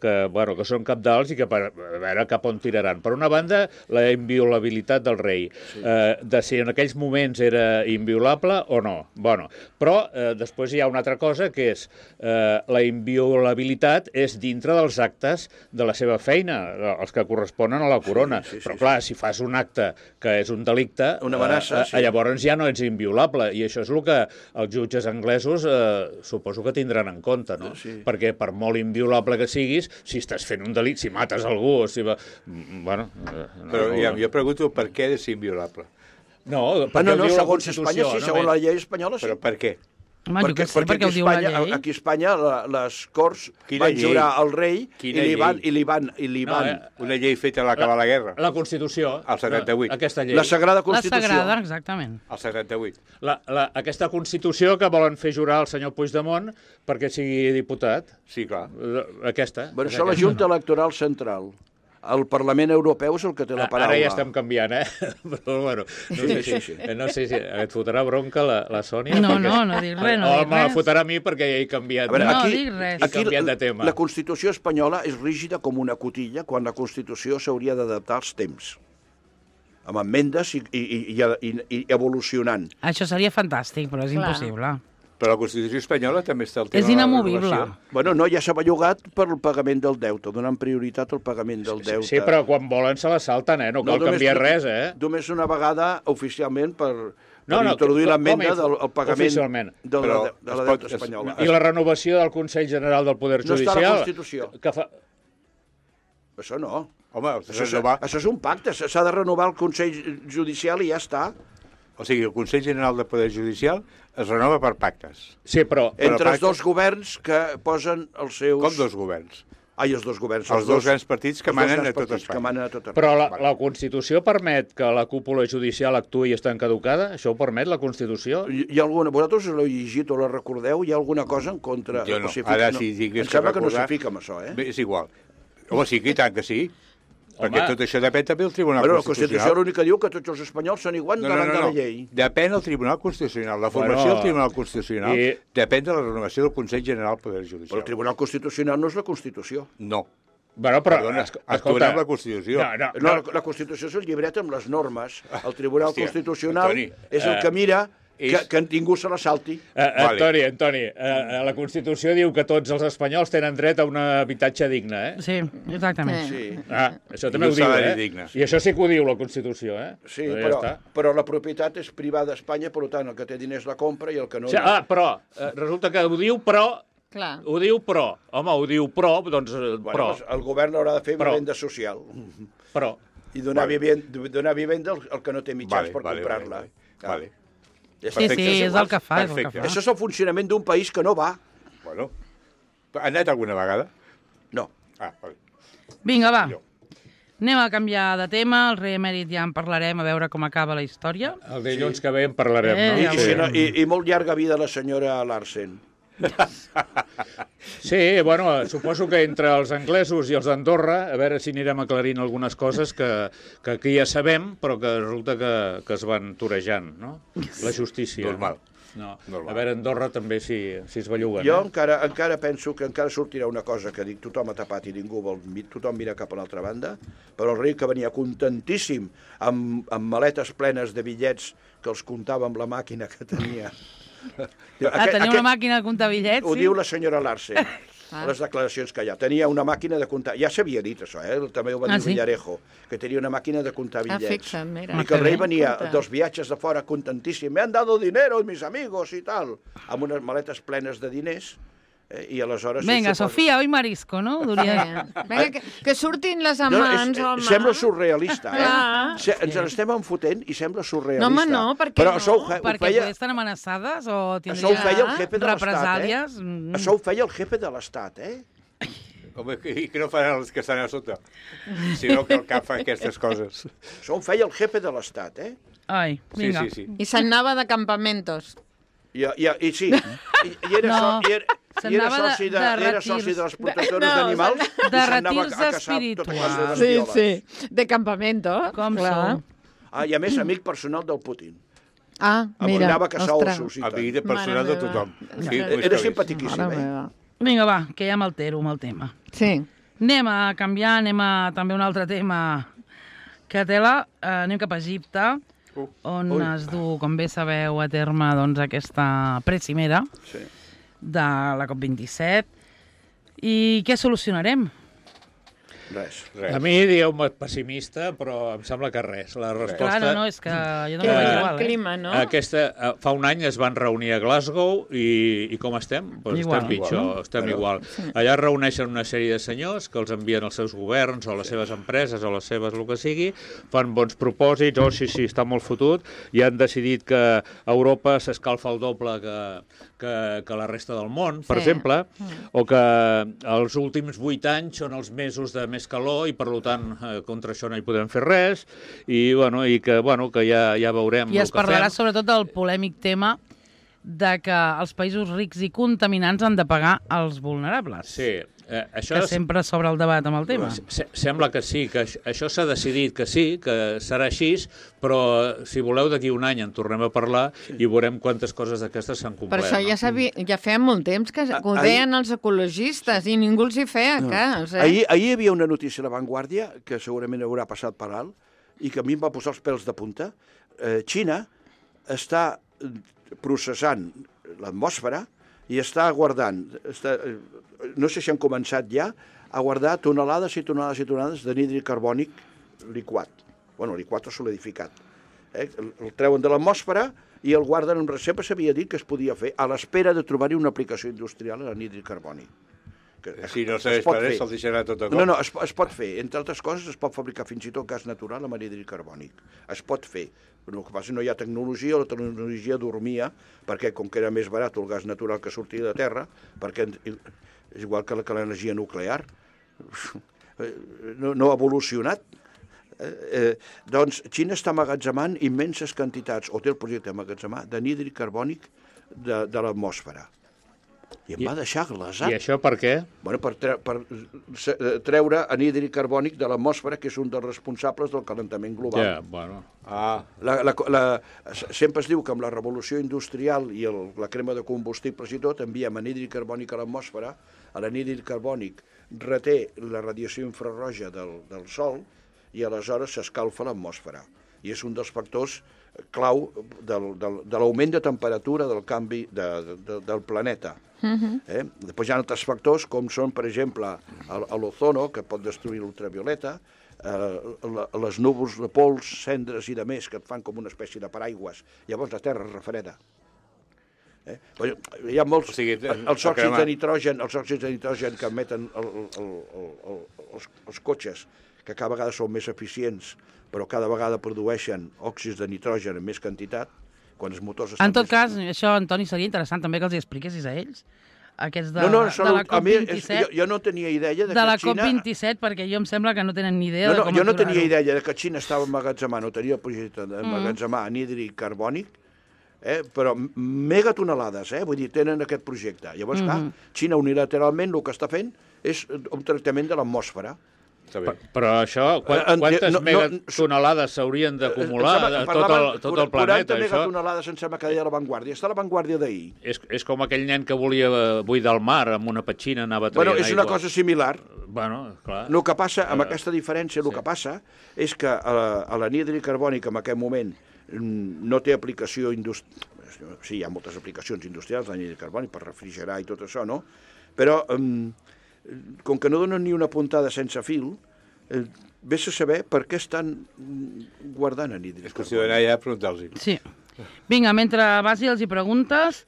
són cabdals i que a veure cap on tiraran. Per una banda, la inviolabilitat del rei. De si en aquells moments era inviolable o no. Però després hi ha una altra cosa, que és la inviolabilitat és dintre dels actes de la seva feina, els que corresponen a la corona. Però clar, si fas un acte que és un delicte, llavors ja no ets inviolable, i això és el que els jutges anglesos suposo que tindran en compte, no? Perquè per molt inviolable que siguis, si estàs fent un delicte, si mates algú, Però jo pregunto per què ha de ser inviolable. No, segons Espanya, sí, segons la llei espanyola, sí. Però per què? Home, perquè ho diu la llei. Aquí a Espanya les corts van jurar al rei i li van... Una llei feta a l'acabar la guerra. La Constitució. El 78. Aquesta llei. La Sagrada Constitució. La Sagrada, exactament. El 78. Aquesta Constitució que volen fer jurar al senyor Puigdemont perquè sigui diputat. Sí, clar. Aquesta. Però això la Junta Electoral Central. El Parlament Europeu és el que té la paraula. Ara ja estem canviant, Però, bueno, no sé si et fotrà bronca la Sònia. No dic res, O me la fotrà a mi perquè ja he canviat. No dic res. He canviat de tema. La Constitució espanyola és rígida com una cotilla, quan la Constitució s'hauria d'adaptar als temps, amb emmendes i evolucionant. Això seria fantàstic, però és impossible. Però la Constitució espanyola també està el tema és inamovible. Ja s'ha bellugat per el pagament del deute, donant prioritat al pagament del deute. Sí, però quan volen se la salten, no cal canviar res, Només una vegada, oficialment, per introduir l'amenda del pagament de la deuta espanyola. I la renovació del Consell General del Poder Judicial? No està a la Constitució. Això no. Home, això és un pacte, s'ha de renovar el Consell Judicial i ja està. O sigui, el Consell General del Poder Judicial es renova per pactes. Sí, però... Entre els dos governs que posen els seus... Com dos governs? Els dos governs. Els dos grans partits que manen a tot Espanya. Però la Constitució permet que la cúpula judicial actuï i està caducada? Això ho permet, la Constitució? Hi ha alguna... Vosaltres l'heu llegit o la recordeu? Hi ha alguna cosa en contra? Jo no. Ara, si digués em sembla que no s'hi fica amb això, És igual. Home, sí, i tant que sí. Perquè tot això depèn també del Tribunal Constitucional. La Constitució l'únic que diu que tots els espanyols són iguals davant de la llei. Depèn del Tribunal Constitucional. La formació del Tribunal Constitucional depèn de la renovació del Consell General del Poder Judicial. Però el Tribunal Constitucional no és la Constitució. No. Però, actuen amb la Constitució. No, la Constitució és el llibret amb les normes. El Tribunal Constitucional és el que mira que ningú se la salti. Antoni, la Constitució diu que tots els espanyols tenen dret a un habitatge digne, eh? Sí, exactament. Sí, Això també I un ho diu, salari eh? digne. I això sí que ho diu la Constitució, eh? sí, Ja està. però la propietat és privada a Espanya, per tant, el que té diners la compra i el que no... Però, resulta que ho diu, però... Clar. Ho diu, però. Home, ho diu, però, doncs, però. Doncs el govern haurà de fer vivenda social Però. i donar vivenda al que no té mitjans per comprar-la. Vale. Sí, és el que fa, és el que Perfecte. fa. Això és el funcionament d'un país que no va. Bueno, ha anat alguna vegada? No. Vale. Vinga, va. Millor. Anem a canviar de tema. El rei emèrit ja en parlarem, a veure com acaba la història. El dilluns que ve en parlarem, Ja no? I, ho si no, i molt llarga vida la senyora Larsen. Sí, bueno, suposo que entre els anglesos i els d'Andorra, a veure si anirem aclarint algunes coses que aquí ja sabem, però que resulta que es van torejant, no? La justícia. Normal. No. Normal. A veure, Andorra també si es belluguen. Jo encara penso que encara sortirà una cosa que dic, tothom ha tapat i ningú vol, tothom mira cap a l'altra banda, però el rei que venia contentíssim amb maletes plenes de bitllets que els comptava amb la màquina que tenia. Tenia una màquina de comptar bitllets, Ho sí? diu la senyora Larsen, a les declaracions que hi ha. Tenia una màquina de comptar... Ja s'havia dit això, també ho va dir sí? Villarejo, que tenia una màquina de comptar bitllets. Fixa't, mira. I que el rei Que bé. venia Compte. dels viatges de fora contentíssim. Me han dado dinero mis amigos i tal. Amb unes maletes plenes de diners. I aleshores... Vinga, suposo- Sofia, hoy marisco, no? Duria... Vinga, que surtin les No, amants, home. sembla surrealista, Clar. Ens l'estem enfotent i sembla surrealista. No, home, no, per què Però no? això ho Perquè feia... poder estan amenaçades o Això ho feia el tindrien jefe de l'Estat, represàlies? Això ho feia el jefe de l'Estat, Home, i que no faran els que estan a sota? Sinó que el cap fa aquestes coses. Això ho feia el jefe de l'Estat, Ai, Sí, vinga. sí. I se'n anava de campamentos. I sí, i era, No, i era s'anava soci de era retirs. soci de les protectores No, d'animals de i s'anava retirs a caçar tota espirituals. classe de Sí, bestioles. sí. De campamento. Com clar. sou? I a més, amic personal del Putin. Ah, mira. Anava a caçar ostres. ossos i El tal. vida personal Mare de tothom. meva. Sí, ho Era és simpaticíssim, Mare meva. Vinga, va, que ja m'altero amb el tema. Sí. Anem a canviar, anem a també un altre tema que tela. Anem cap a Egipte, on es du, com bé sabeu, a terme doncs, aquesta precimera Sí. de la COP27. I què solucionarem? Res. A mi, digueu-me pessimista, però em sembla que res. La resposta... Clar, no, és que jo no Que m'ho veig el igual, clima, no? Fa un any es van reunir a Glasgow i com estem? Pues Igual. estem pitjor, Igual. estem igual. Allà es reuneixen una sèrie de senyors que els envien als seus governs o a les seves empreses o a les seves el que sigui, fan bons propòsits, sí, està molt fotut, i han decidit que Europa s'escalfa el doble que la resta del món, per exemple, o que els últims 8 anys són els mesos de més calor i, per tant, contra això no hi podem fer res, i que ja veurem I el es que parlarà fem. sobretot del polèmic tema de que els països rics i contaminants han de pagar als vulnerables. Sí, això Que sempre s'obre el debat amb el tema. sembla que sí, que això s'ha decidit que sí, que serà així, però si voleu d'aquí un any en tornem a parlar i veurem quantes coses d'aquestes s'han Per complert. això ja feia molt temps que ho deien els ecologistes i ningú els hi feia cas. Ahir hi havia una notícia a La Vanguardia, que segurament haurà passat per alt, i que a mi em va posar els pèls de punta. Xina està processant l'atmosfera i està guardant, no sé si han començat ja, a guardar tonelades i tonelades i tonelades d'anhídrid carbònic liquat. Bueno, liquat o solidificat. El treuen de l'atmosfera i el guarden, sempre s'havia dit que es podia fer a l'espera de trobar-hi una aplicació industrial a l'anhídrid carbònic. Si no serveix per res, se'l deixarà tot a cop. No, es pot fer. Entre altres coses, es pot fabricar fins i tot gas natural amb anhídrid carbònic. Es pot fer. Però el que passa no hi ha tecnologia, la tecnologia dormia, perquè com que era més barat el gas natural que sortia de terra, perquè és igual que l'energia nuclear, no ha evolucionat. Doncs Xina està amagatzemant immenses quantitats, o té el projecte d'emmagatzemar, d'anhídrid carbònic de l'atmosfera. I em va deixar glaçat. I això per què? Bueno, per treure anhídrid carbònic de l'atmosfera, que és un dels responsables del calentament global. Ja, bueno. Sempre es diu que amb la revolució industrial i la crema de combustibles i tot, enviem anhídrid carbònic a l'atmosfera, l'anhídrid carbònic reté la radiació infrarroja del Sol i aleshores s'escalfa l'atmosfera. I és un dels factors clau de l'augment de temperatura del canvi del planeta. Després hi ha altres factors com són, per exemple, l'ozono, que pot destruir l'ultravioleta, les núvols de pols, cendres i de més, que et fan com una espècie de paraigües. Llavors la Terra es refreda. Hi ha molts... Els òxids de nitrogen que emeten els cotxes, que cada vegada són més eficients, però cada vegada produeixen òxids de nitrogen en més quantitat, quan els motors... En tot cas, això, Antoni, seria interessant també que els hi expliquessis a ells, aquests de la COP27. Jo no tenia idea de la COP27, perquè jo em sembla que no tenen ni idea de com jo no tenia idea de que Xina estava emmagatzemant, o tenia el projecte d'emmagatzemar anhidre carbònic, però megatonelades, vull dir, tenen aquest projecte. Llavors, clar, Xina unilateralment el que està fent és un tractament de l'atmosfera. Però això, quantes megatonelades s'haurien d'acumular tot el planeta? 40 megatonelades em sembla que deia La Vanguardia. Està a La Vanguardia d'ahir. És com aquell nen que volia buidar el mar amb una petxina, anava traient aigua. És una cosa similar. Bueno, clar. El que passa, amb aquesta diferència, el que passa és que l'anhidre carbònic en aquest moment no té aplicació industrial. Sí, hi ha moltes aplicacions industrials, l'anhidre carbònic, per refrigerar i tot això, no? Però com que no donen ni una puntada sense fil, vés a saber per què estan guardant anhidre carbònic. És qüestió d'anar allà a preguntar-los. Sí. Vinga, mentre vas i els hi preguntes,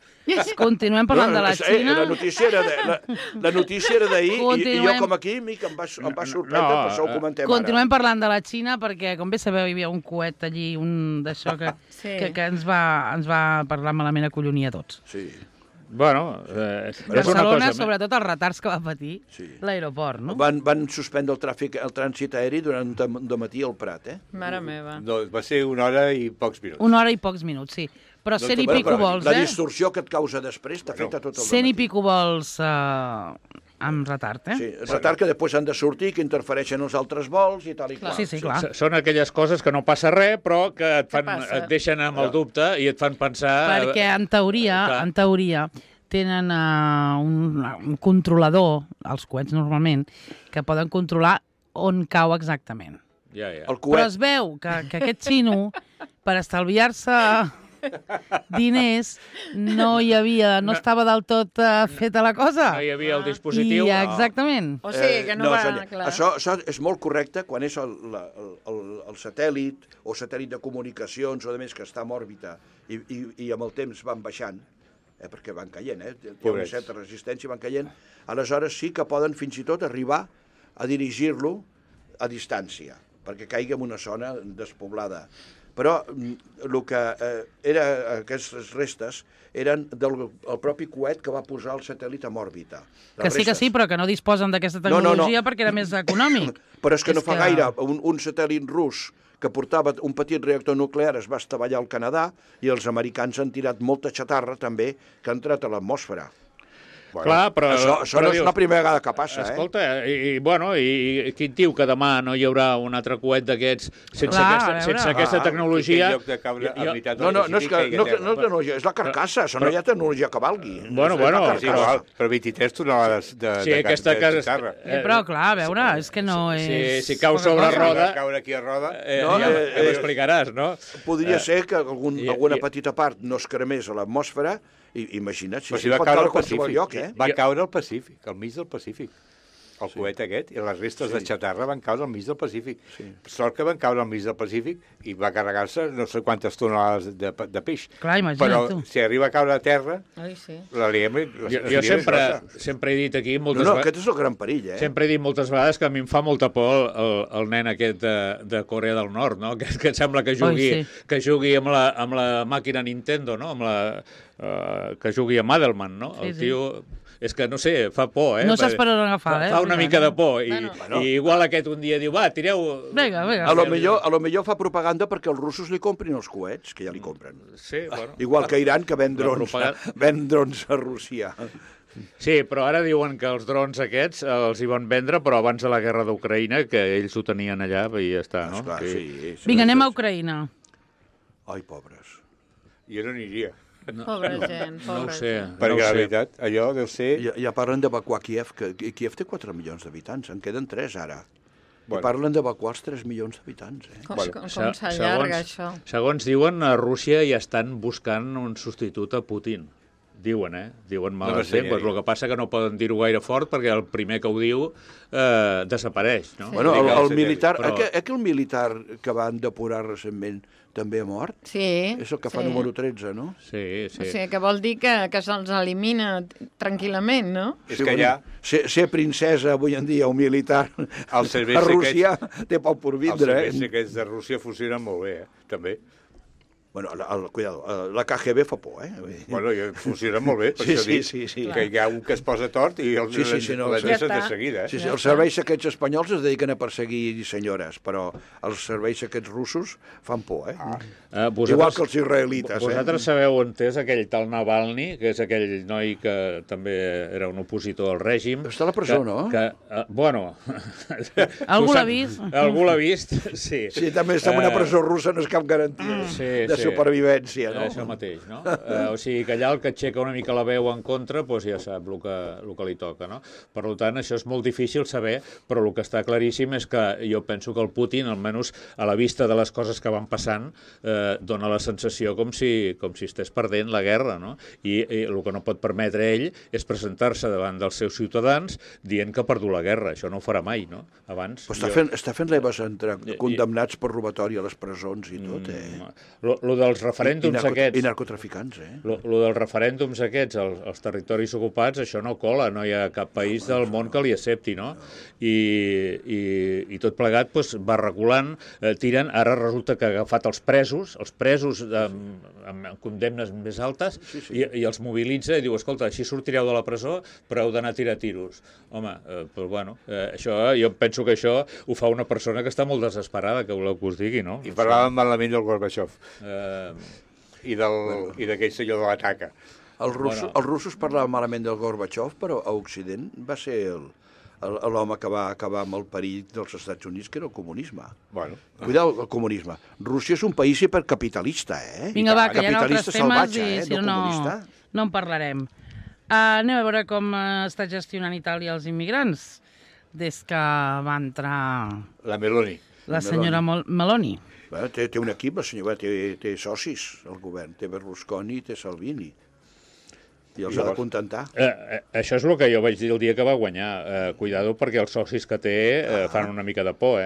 continuem parlant de la Xina. La notícia era d'ahir i jo com a químic em va sorprendre, per això ho comentem ara. Continuem parlant de la Xina perquè, com bé sabeu, hi havia un coet allí, un d'això que ens va parlar malament, acollonir a tots. Sí. Bueno, Barcelona, sobretot els retards que va patir l'aeroport, no? Van suspendre el trànsit aeri durant un dematí al Prat, Mare meva. No, va ser 1 hora i pocs minuts. 1 hora i pocs minuts, sí. Però 100 i pico vols, La distorsió que et causa després t'afecta tot el dematí. 100 i pico vols amb retard, Sí, retard que després han de sortir, que interfereixen els altres vols i tal i qual. Sí, clar. Són aquelles coses que no passa res, però que et deixen amb el dubte i et fan pensar... Perquè, en teoria, tenen un controlador, els coets normalment, que poden controlar on cau exactament. Però es veu que aquest xino, per estalviar-se diners, no estava del tot feta la cosa. No hi havia el dispositiu. Exactament. O sigui, que no va... Clar. Això és molt correcte quan és el satèl·lit o satèl·lit de comunicacions o de més que està en òrbita i amb el temps van baixant, perquè van caient, hi ha una certa resistència, van caient, aleshores sí que poden fins i tot arribar a dirigir-lo a distància, perquè caigui en una zona despoblada. Però el que aquestes restes eren del propi coet que va posar el satèl·lit en òrbita. Que sí, però que no disposen d'aquesta tecnologia perquè era més econòmic. Però és que no fa gaire un satèl·lit rus que portava un petit reactor nuclear es va estavellar al Canadà i els americans han tirat molta xatarra també que ha entrat a l'atmosfera. Clar, però això no és la primera vegada que passa, Escolta, i qui et diu que demà no hi haurà un altre coet d'aquests sense aquesta tecnologia? No és tecnologia, és la carcassa, això no hi ha tecnologia que valgui. Bueno. Però 23 tonelades de xatarra. Però, clar, a veure, és que no és... Si cau sobre roda... Caure aquí a roda... Ja m'explicaràs, no? Podria ser que alguna petita part no es cremés a l'atmosfera. Imagina't, si va pot caure a qualsevol lloc, Va caure al Pacífic, al mig del Pacífic. El coet aquest, i les restes de xatarra van caure al mig del Pacífic. Sort que van caure al mig del Pacífic i va carregar-se no sé quantes tonelades de peix. Clar, imagina't tu. Però si arriba a caure a terra, la liem... Jo sempre he dit aquí moltes vegades... No, aquest és el gran perill, Sempre he dit moltes vegades que a mi em fa molta por el nen aquest de Corea del Nord, no? Que em sembla que jugui amb la màquina Nintendo, no? Que jugui a Madelman, no? El tio... És que, no sé, fa por, No saps per on agafar, Fa una mica de por. I igual aquest un dia diu, va, tireu... Vinga. A lo millor fa propaganda perquè els russos li comprin els coets, que ja li compren. Sí, bueno. Igual que Iran, que ven drons a Rússia. Sí, però ara diuen que els drons aquests els hi van vendre, però abans de la guerra d'Ucraïna, que ells ho tenien allà i ja està, no? Esclar, sí. Vinga, anem a Ucraïna. Ai, pobres. Jo no aniria. Pobra gent. No ho sé. Perquè la veritat, allò deu ser... Ja parlen d'evacuar Kíev, que Kíev té 4 milions d'habitants, en queden 3 ara. I parlen d'evacuar els 3 milions d'habitants. Com s'allarga, això? Segons diuen, a Rússia ja estan buscant un substitut a Putin. Diuen, Diuen males llengües. El que passa que no poden dir-ho gaire fort perquè el primer que ho diu desapareix, no? Bueno, el militar... El militar que van depurar recentment també ha mort? Sí. És el que fa número 13, no? Sí. O sigui, que vol dir que se'ls elimina tranquil·lament, no? És que ja... Ser princesa avui en dia, un militar a Rússia, té poc por vindre. Els serveis secrets de Rússia funcionen molt bé, també. Bueno, cuidado, la KGB fa por, Bueno, funciona molt bé, per això dic que hi ha un que es posa tort i els deixen de seguida. Sí, els serveis secrets espanyols es dediquen a perseguir senyores, però els serveis secrets russos fan por, Igual que els israelites, Vosaltres sabeu on és aquell tal Navalny, que és aquell noi que també era un opositor al règim. Està a la presó, no? Bueno... Algú l'ha vist? Algú l'ha vist, sí. Sí, també està en una presó russa, no és cap garantia. De supervivència, no? Això mateix, no? O sigui, que allà el que aixeca una mica la veu en contra, doncs ja sap el que li toca, no? Per tant, això és molt difícil saber, però el que està claríssim és que jo penso que el Putin, almenys a la vista de les coses que van passant, dona la sensació com si estés perdent la guerra, no? I el que no pot permetre ell és presentar-se davant dels seus ciutadans dient que ha perdut la guerra. Això no ho farà mai, no? Abans... Està fent leves entre condemnats per robatori a les presons i tot, Lo dels referèndums aquests... I narcotraficants, Lo dels referèndums aquests als territoris ocupats, això no cola, no hi ha cap país del món que li accepti, no? I tot plegat va reculant, tiren, ara resulta que ha agafat els presos amb condemnes més altes, i els mobilitza i diu, escolta, així sortireu de la presó, però heu d'anar a tirar tiros. Home, doncs bueno, això, jo penso que això ho fa una persona que està molt desesperada, que voleu que us digui, no? I parlàvem malament del Gorbachev. I d'aquell senyor de l'ataca. Els russos parlaven malament del Gorbachev, però a Occident va ser l'home que va acabar amb el perill dels Estats Units, que era el comunisme. Cuidao, el comunisme. Rússia és un país hipercapitalista, Vinga, va, que hi ha altres temes i si no en parlarem. Anem a veure com està gestionant Itàlia els immigrants des que va entrar... La Meloni. La senyora Meloni. Té un equip, la senyora, té socis, el govern. Té Berlusconi i té Salvini. I els ha de contentar. Això és el que jo vaig dir el dia que va guanyar. Cuidado, perquè els socis que té fan una mica de por,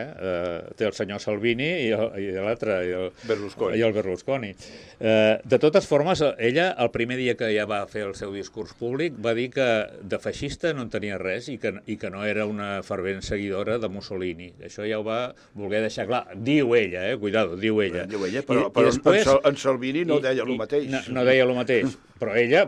Té el senyor Salvini i l'altre, i el Berlusconi. De totes formes, ella, el primer dia que ja va fer el seu discurs públic, va dir que de feixista no en tenia res i que no era una fervent seguidora de Mussolini. Això ja ho va voler deixar clar. Diu ella, cuidado, diu ella. Però en Salvini no deia el mateix. No deia el mateix. Però ella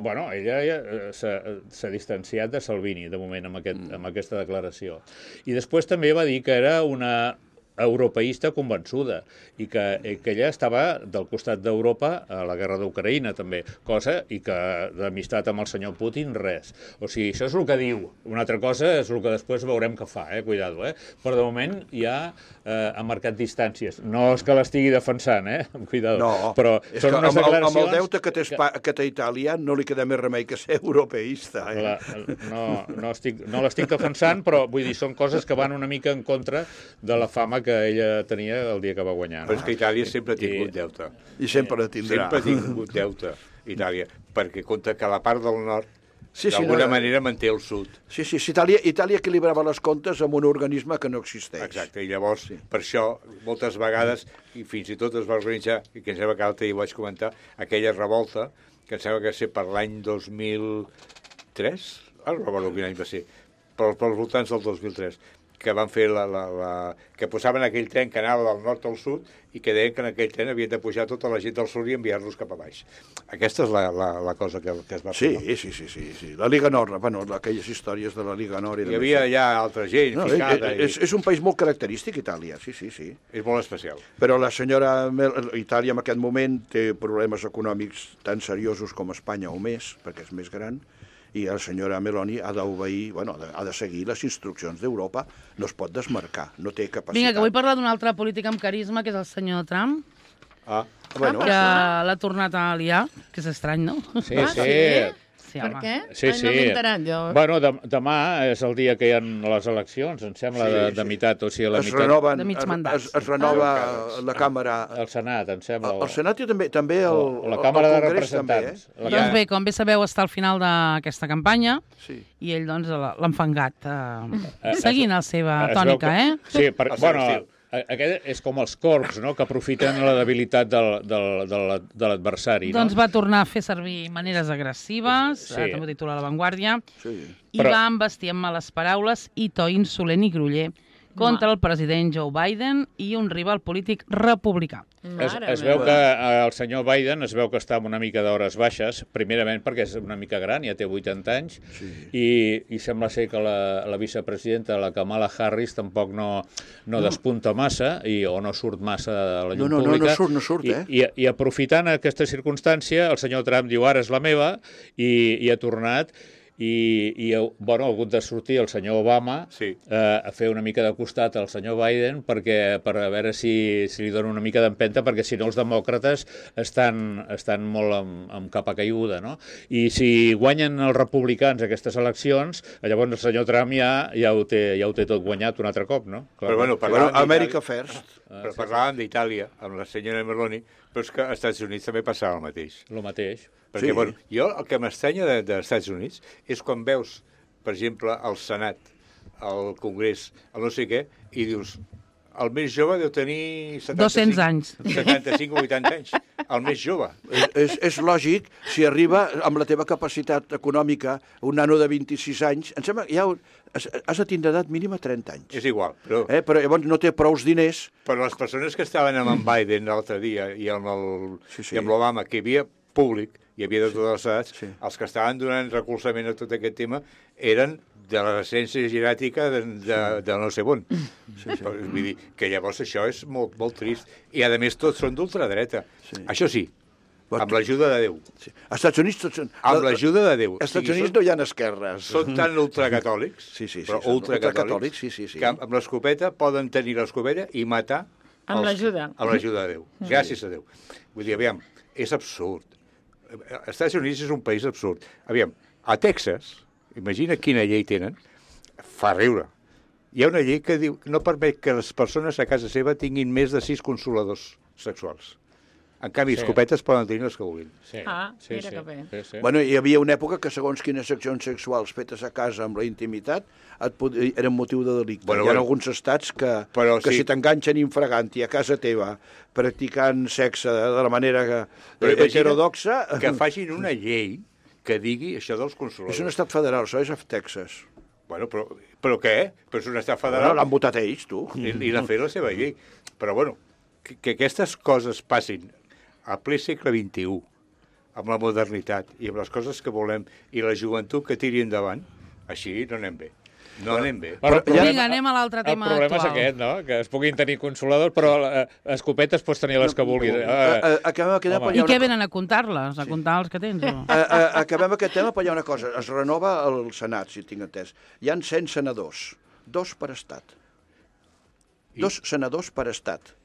s'ha distanciat de Salvini, de moment, amb aquesta declaració. I després també va dir que era una europeista convençuda i que ella estava del costat d'Europa a la guerra d'Ucraïna també, cosa i que d'amistat amb el senyor Putin res. O sigui, això és el que diu. Una altra cosa és el que després veurem que fa, cuidado, Però de moment ja ha marcat distàncies. No és que l'estigui defensant, cuidado. No, però són unes declaracions... Amb el deute que té Itàlia no li queda més remei que ser europeista. No l'estic defensant, però vull dir, són coses que van una mica en contra de la fama que ella tenia el dia que va guanyar. Però és que Itàlia sempre ha tingut deute. I sempre tindrà. Sempre ha tingut deute, Itàlia, perquè compta que la part del nord d'alguna manera manté el sud. Sí, Itàlia equilibrava les comptes amb un organisme que no existeix. Exacte, i llavors, per això, moltes vegades, i fins i tot es va organitzar, i que em sembla que l'altre dia ho vaig comentar, aquella revolta, que em sembla que va ser per l'any 2003, no recordo quin any va ser, pels voltants del 2003, que van fer que posaven aquell tren que anava del nord al sud i que deien que en aquell tren havien de pujar tota la gent del sud i enviar-los cap a baix. Aquesta és la cosa que es va fer. Sí. La Liga Nord, aquelles històries de la Liga Nord. Hi havia ja altra gent ficada. És un país molt característic, Itàlia, sí. És molt especial. Però la senyora Itàlia en aquest moment té problemes econòmics tan seriosos com Espanya o més, perquè és més gran, i la senyora Meloni ha d'obeir, ha de seguir les instruccions d'Europa, no es pot desmarcar, no té capacitat. Vinga, que vull parlar d'un altre polític amb carisma, que és el senyor Trump, que l'ha tornat a liar, que és estrany, no? Sí. Sí, Per home. què? Sí, No m'he enterat, jo. Bueno, demà és el dia que hi ha les eleccions, em sembla, de meitat, o sigui, la Es meitat... renoven, De mig mandat. es renova la Càmera. El Senat, em sembla. El Senat i també la Càmera de Congrés també, Representants. Doncs bé, com bé sabeu, està al final d'aquesta campanya Sí. i ell doncs l'ha enfangat seguint la seva Es veu tònica, que- Sí, El seu estil. aquest és com els corbs, no?, que aprofiten la debilitat de l'adversari, no? Doncs va tornar a fer servir maneres agressives, Sí. també ho titula La Vanguardia, Sí. i va embestir amb males paraules i to insolent i groller contra el president Joe Biden i un rival polític republicà. Es veu que el senyor Biden es veu que està amb una mica d'hores baixes, primerament perquè és una mica gran, ja té 80 anys, i sembla ser que la vicepresidenta, la Kamala Harris, tampoc no despunta massa o no surt massa a la llum pública. No surt, I aprofitant aquesta circumstància, el senyor Trump diu ara és la meva i ha tornat. Bueno, ha hagut de sortir el senyor Obama a fer una mica de costat al senyor Biden per a veure si li dona una mica d'empenta, perquè si no els demòcrates estan molt amb capa caiguda, no? I si guanyen els republicans aquestes eleccions, llavors el senyor Trump ja ho té tot guanyat un altre cop, no? Però bueno, America First. Però parlàvem d'Itàlia, amb la senyora Meloni, però és que als Estats Units també passava el mateix. El mateix. Perquè, bueno, jo el que m'estranya dels Estats Units és quan veus, per exemple, el Senat, el Congrés, el no sé què, i dius, el més jove deu tenir 200 anys. 75 o 80 anys. El més jove. És lògic, si arriba amb la teva capacitat econòmica un nano de 26 anys, em sembla que ja has de tindre edat mínima 30 anys. És igual, però... Però llavors no té prous diners. Però les persones que estaven amb en Biden l'altre dia i amb l'Obama, que hi havia públic, hi havia de totes les edats, els que estaven donant recolzament a tot aquest tema eren de la recència geràtica de no sé on. Vull dir que llavors això és molt, molt trist. I, a més, tots són d'ultradreta. Això sí, amb l'ajuda de Déu. Als Estats Units tots són... Amb l'ajuda de Déu. Als Estats Units no hi ha esquerres. Són tan ultracatòlics, però ultracatòlics, que amb l'escopeta poden tenir l'escopeta i matar amb l'ajuda de Déu. Gràcies a Déu. Vull dir, aviam, és absurd. Els Estats Units és un país absurd. Aviam, a Texas, imagina quina llei tenen, fa riure. Hi ha una llei que diu no permet que les persones a casa seva tinguin més de 6 consoladors sexuals. En canvi, escopetes poden tenir les que vulguin. Mira que bé. Bueno, hi havia una època que segons quines accions sexuals fetes a casa amb la intimitat eren motiu de delicte. Hi ha alguns estats que si t'enganxen infraganti a casa teva practicant sexe de la manera heterodoxa... Que facin una llei que digui això dels consoladors. És un estat federal, això és a Texas. Bueno, però què? Però és un estat federal. L'han votat ells, tu. I l'ha fet la seva llei. Però, bueno, que aquestes coses passin a ple segle XXI, amb la modernitat i amb les coses que volem, i la joventut que tiri endavant, així no anem bé. No anem bé. Vinga, anem a l'altre tema actual. El problema és aquest, no? Que es puguin tenir consoladors, però escopetes pots tenir les que vulguis. I què venen a comptar-les? A comptar els que tens? Acabem aquest tema, però hi ha una cosa. Es renova el Senat, si tinc entès. Hi ha 100 senadors, 2 per estat. 2 senadors per estat.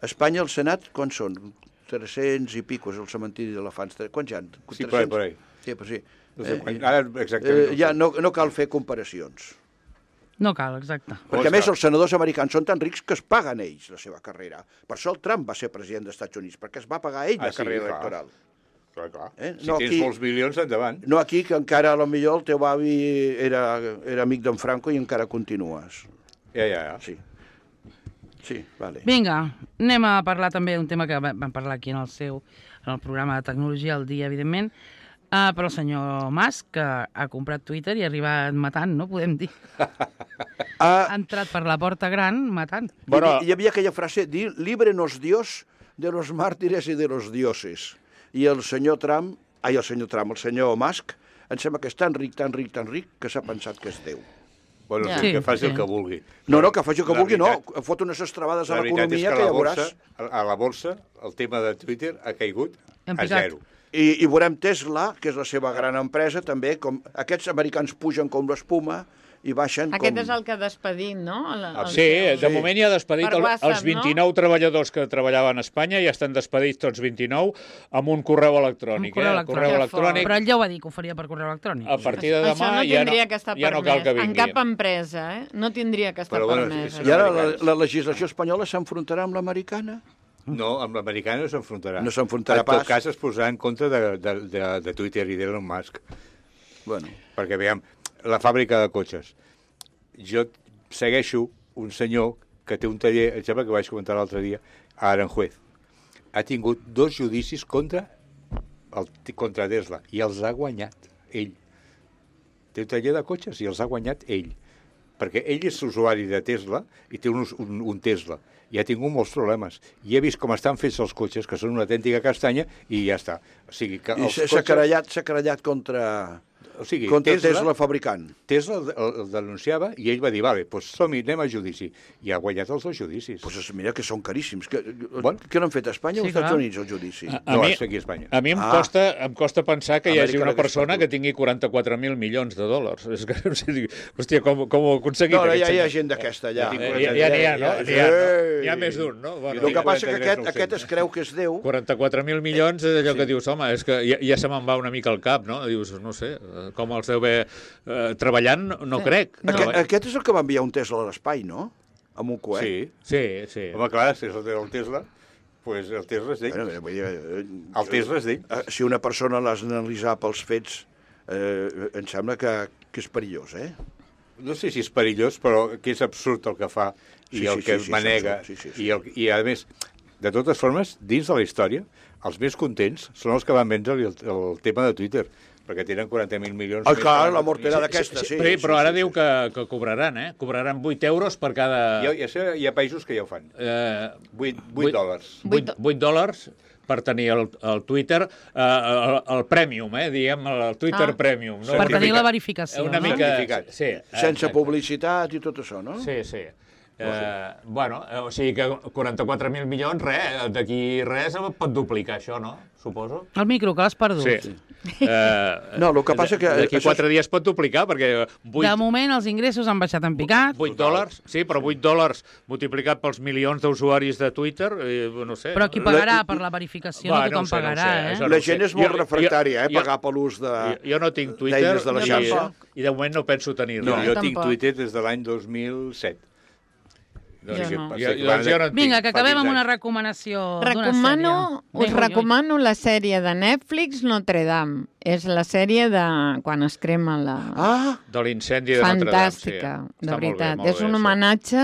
A Espanya, el Senat, quan són? 300 i pico, és el cementiri d'elefants. Quants hi ha? Sí, per ahí. Sí, però sí. Ara, exactament. Ja no cal fer comparacions. No cal, exacte. Perquè, a més, els senadors americans són tan rics que es paguen ells la seva carrera. Per això el Trump va ser president dels Estats Units, perquè es va pagar ell la carrera electoral. Clar. Si tens molts milions, endavant. No aquí, que encara, potser el teu avi era amic d'en Franco i encara continues. Ja. Sí, vale. Vinga, anem a parlar també d'un tema que vam parlar aquí en el programa de tecnologia al dia, evidentment, però el senyor Musk, que ha comprat Twitter i ha arribat matant, no podem dir. Ha entrat per la porta gran matant. Hi havia aquella frase, líbrenos Dios de los mártires y de los dioses. I el senyor Musk, em sembla que és tan ric, que s'ha pensat que és Déu. Bueno, que faci el que vulgui. No, que faci el que vulgui, no. Fot unes estrabades a l'economia que ja veuràs. A la borsa, el tema de Twitter ha caigut a zero. I veurem Tesla, que és la seva gran empresa, també, com aquests americans pugen com l'espuma i baixen Aquest és el que ha despedit, no? Sí, de moment ja ha despedit els 29 treballadors que treballaven a Espanya, ja estan despedits tots 29 amb un correu electrònic. Correu electrònic. Però ell ja ho va dir, que ho faria per correu electrònic. A partir de demà ja no cal que vingui. En cap empresa, no tindria que estar permès. I ara la legislació espanyola s'enfrontarà amb l'americana? No, amb l'americana no s'enfrontarà. No s'enfrontarà pas. En tot cas es posarà en contra de Twitter i d'Elon Musk. Bueno. Perquè, veiem, la fàbrica de cotxes. Jo segueixo un senyor que té un taller, em sembla que vaig comentar l'altre dia, a Aranjuez. Ha tingut 2 judicis contra Tesla i els ha guanyat ell. Té un taller de cotxes i els ha guanyat ell. Perquè ell és usuari de Tesla i té un Tesla. I ha tingut molts problemes. I he vist com estan fets els cotxes, que són una autèntica castanya, i ja està. O sigui, que I s'ha querellat contra Tesla fabricant. Tesla el denunciava i ell va dir, vale, doncs som-hi, anem a judici. I ha guanyat els 2 judicis. Doncs mira que són caríssims. Què n'han fet a Espanya o als Estats Units, el judici? No, és aquí a Espanya. A mi em costa pensar que hi hagi una persona que tingui 44.000 milions de dòlars. És que, hòstia, com ho ha aconseguit? No, ja hi ha gent d'aquesta, ja. Ja n'hi ha, no? N'hi ha més d'un, no? El que passa que aquest es creu que és Déu. 44.000 milions és allò que dius, home, és que ja se me'n va una mica al cap, no? Dius, no sé, com els deu haver treballant, no crec. Aquest és el que va enviar un Tesla a l'espai, no? Amb un coet. Sí. Home, clar, si és el Tesla, doncs el Tesla és d'ell. El Tesla és d'ell. Si una persona l'has d'analitzar pels fets, em sembla que és perillós, No sé si és perillós, però que és absurd el que fa i el que manega. I, a més, de totes formes, dins de la història, els més contents són els que van vendre el tema de Twitter, perquè tenen 40.000 milions... Clar, la mortera d'aquesta, sí. Però ara diu que cobraran, Cobraran 8 euros per cada... Hi ha països que ja ho fan. 8 dòlars. 8 dòlars per tenir el Twitter, el Premium, diguem, el Twitter Premium. No? Per tenir la verificació. Una mica... Sí, sense publicitat i tot això, no? Sí. O sigui que 44.000 milions, d'aquí res pot duplicar això, no? Suposo. El micro, que l'has perdut. Sí. No, el que passa que... D'aquí 4 dies pot duplicar, perquè... De moment els ingressos han baixat en picat. 8 dòlars, sí, però 8 dòlars multiplicat pels milions d'usuaris de Twitter, no sé. Però qui pagarà per la verificació? No tothom pagarà, La gent és molt refractària, pagar per l'ús de... Jo no tinc Twitter de la xarxa. I de moment no penso tenir-lo. No, jo tinc Twitter des de l'any 2007. Vinga, que acabem amb una recomanació d'una sèrie. Us recomano la sèrie de Netflix Notre Dame. És la sèrie de quan es crema la... De l'incendi de Notre Dame. Fantàstica, de veritat. És un homenatge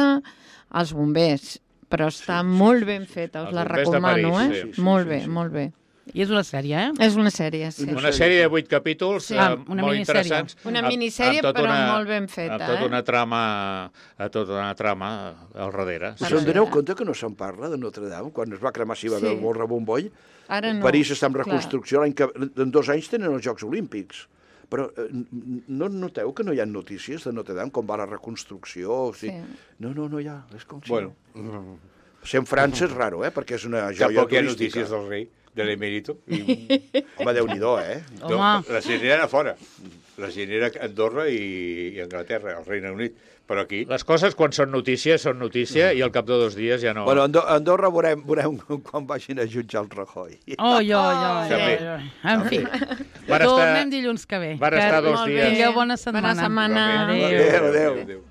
als bombers, però està molt ben feta, us la recomano, Molt bé, molt bé. I és una sèrie, És una sèrie, sí. Una sèrie de 8 capítols molt interessants. Una minissèrie, però molt ben feta. Amb tota una trama al darrere. Us en doneu compte que no se'n parla de Notre Dame? Quan es va cremar si va haver el rebomboll, París està en reconstrucció, en 2 anys tenen els Jocs Olímpics. Però no noteu que no hi ha notícies de Notre Dame, com va la reconstrucció? No hi ha. És com si... Bueno. Ser en França és raro, perquè és una joia turística. Tampoc hi ha notícies del rei, de l'emèrito. Home, Déu-n'hi-do, La gent era fora. La gent era a Andorra i Anglaterra, al Regne Unit. Però aquí... Les coses, quan són notícia, i al cap de 2 dies ja no... Bueno, a Andorra veurem quan vagin a jutjar el Rajoy. En fi, tornem dilluns que ve. Van estar 2 dies. Tingueu bona setmana. Bona setmana. Adéu.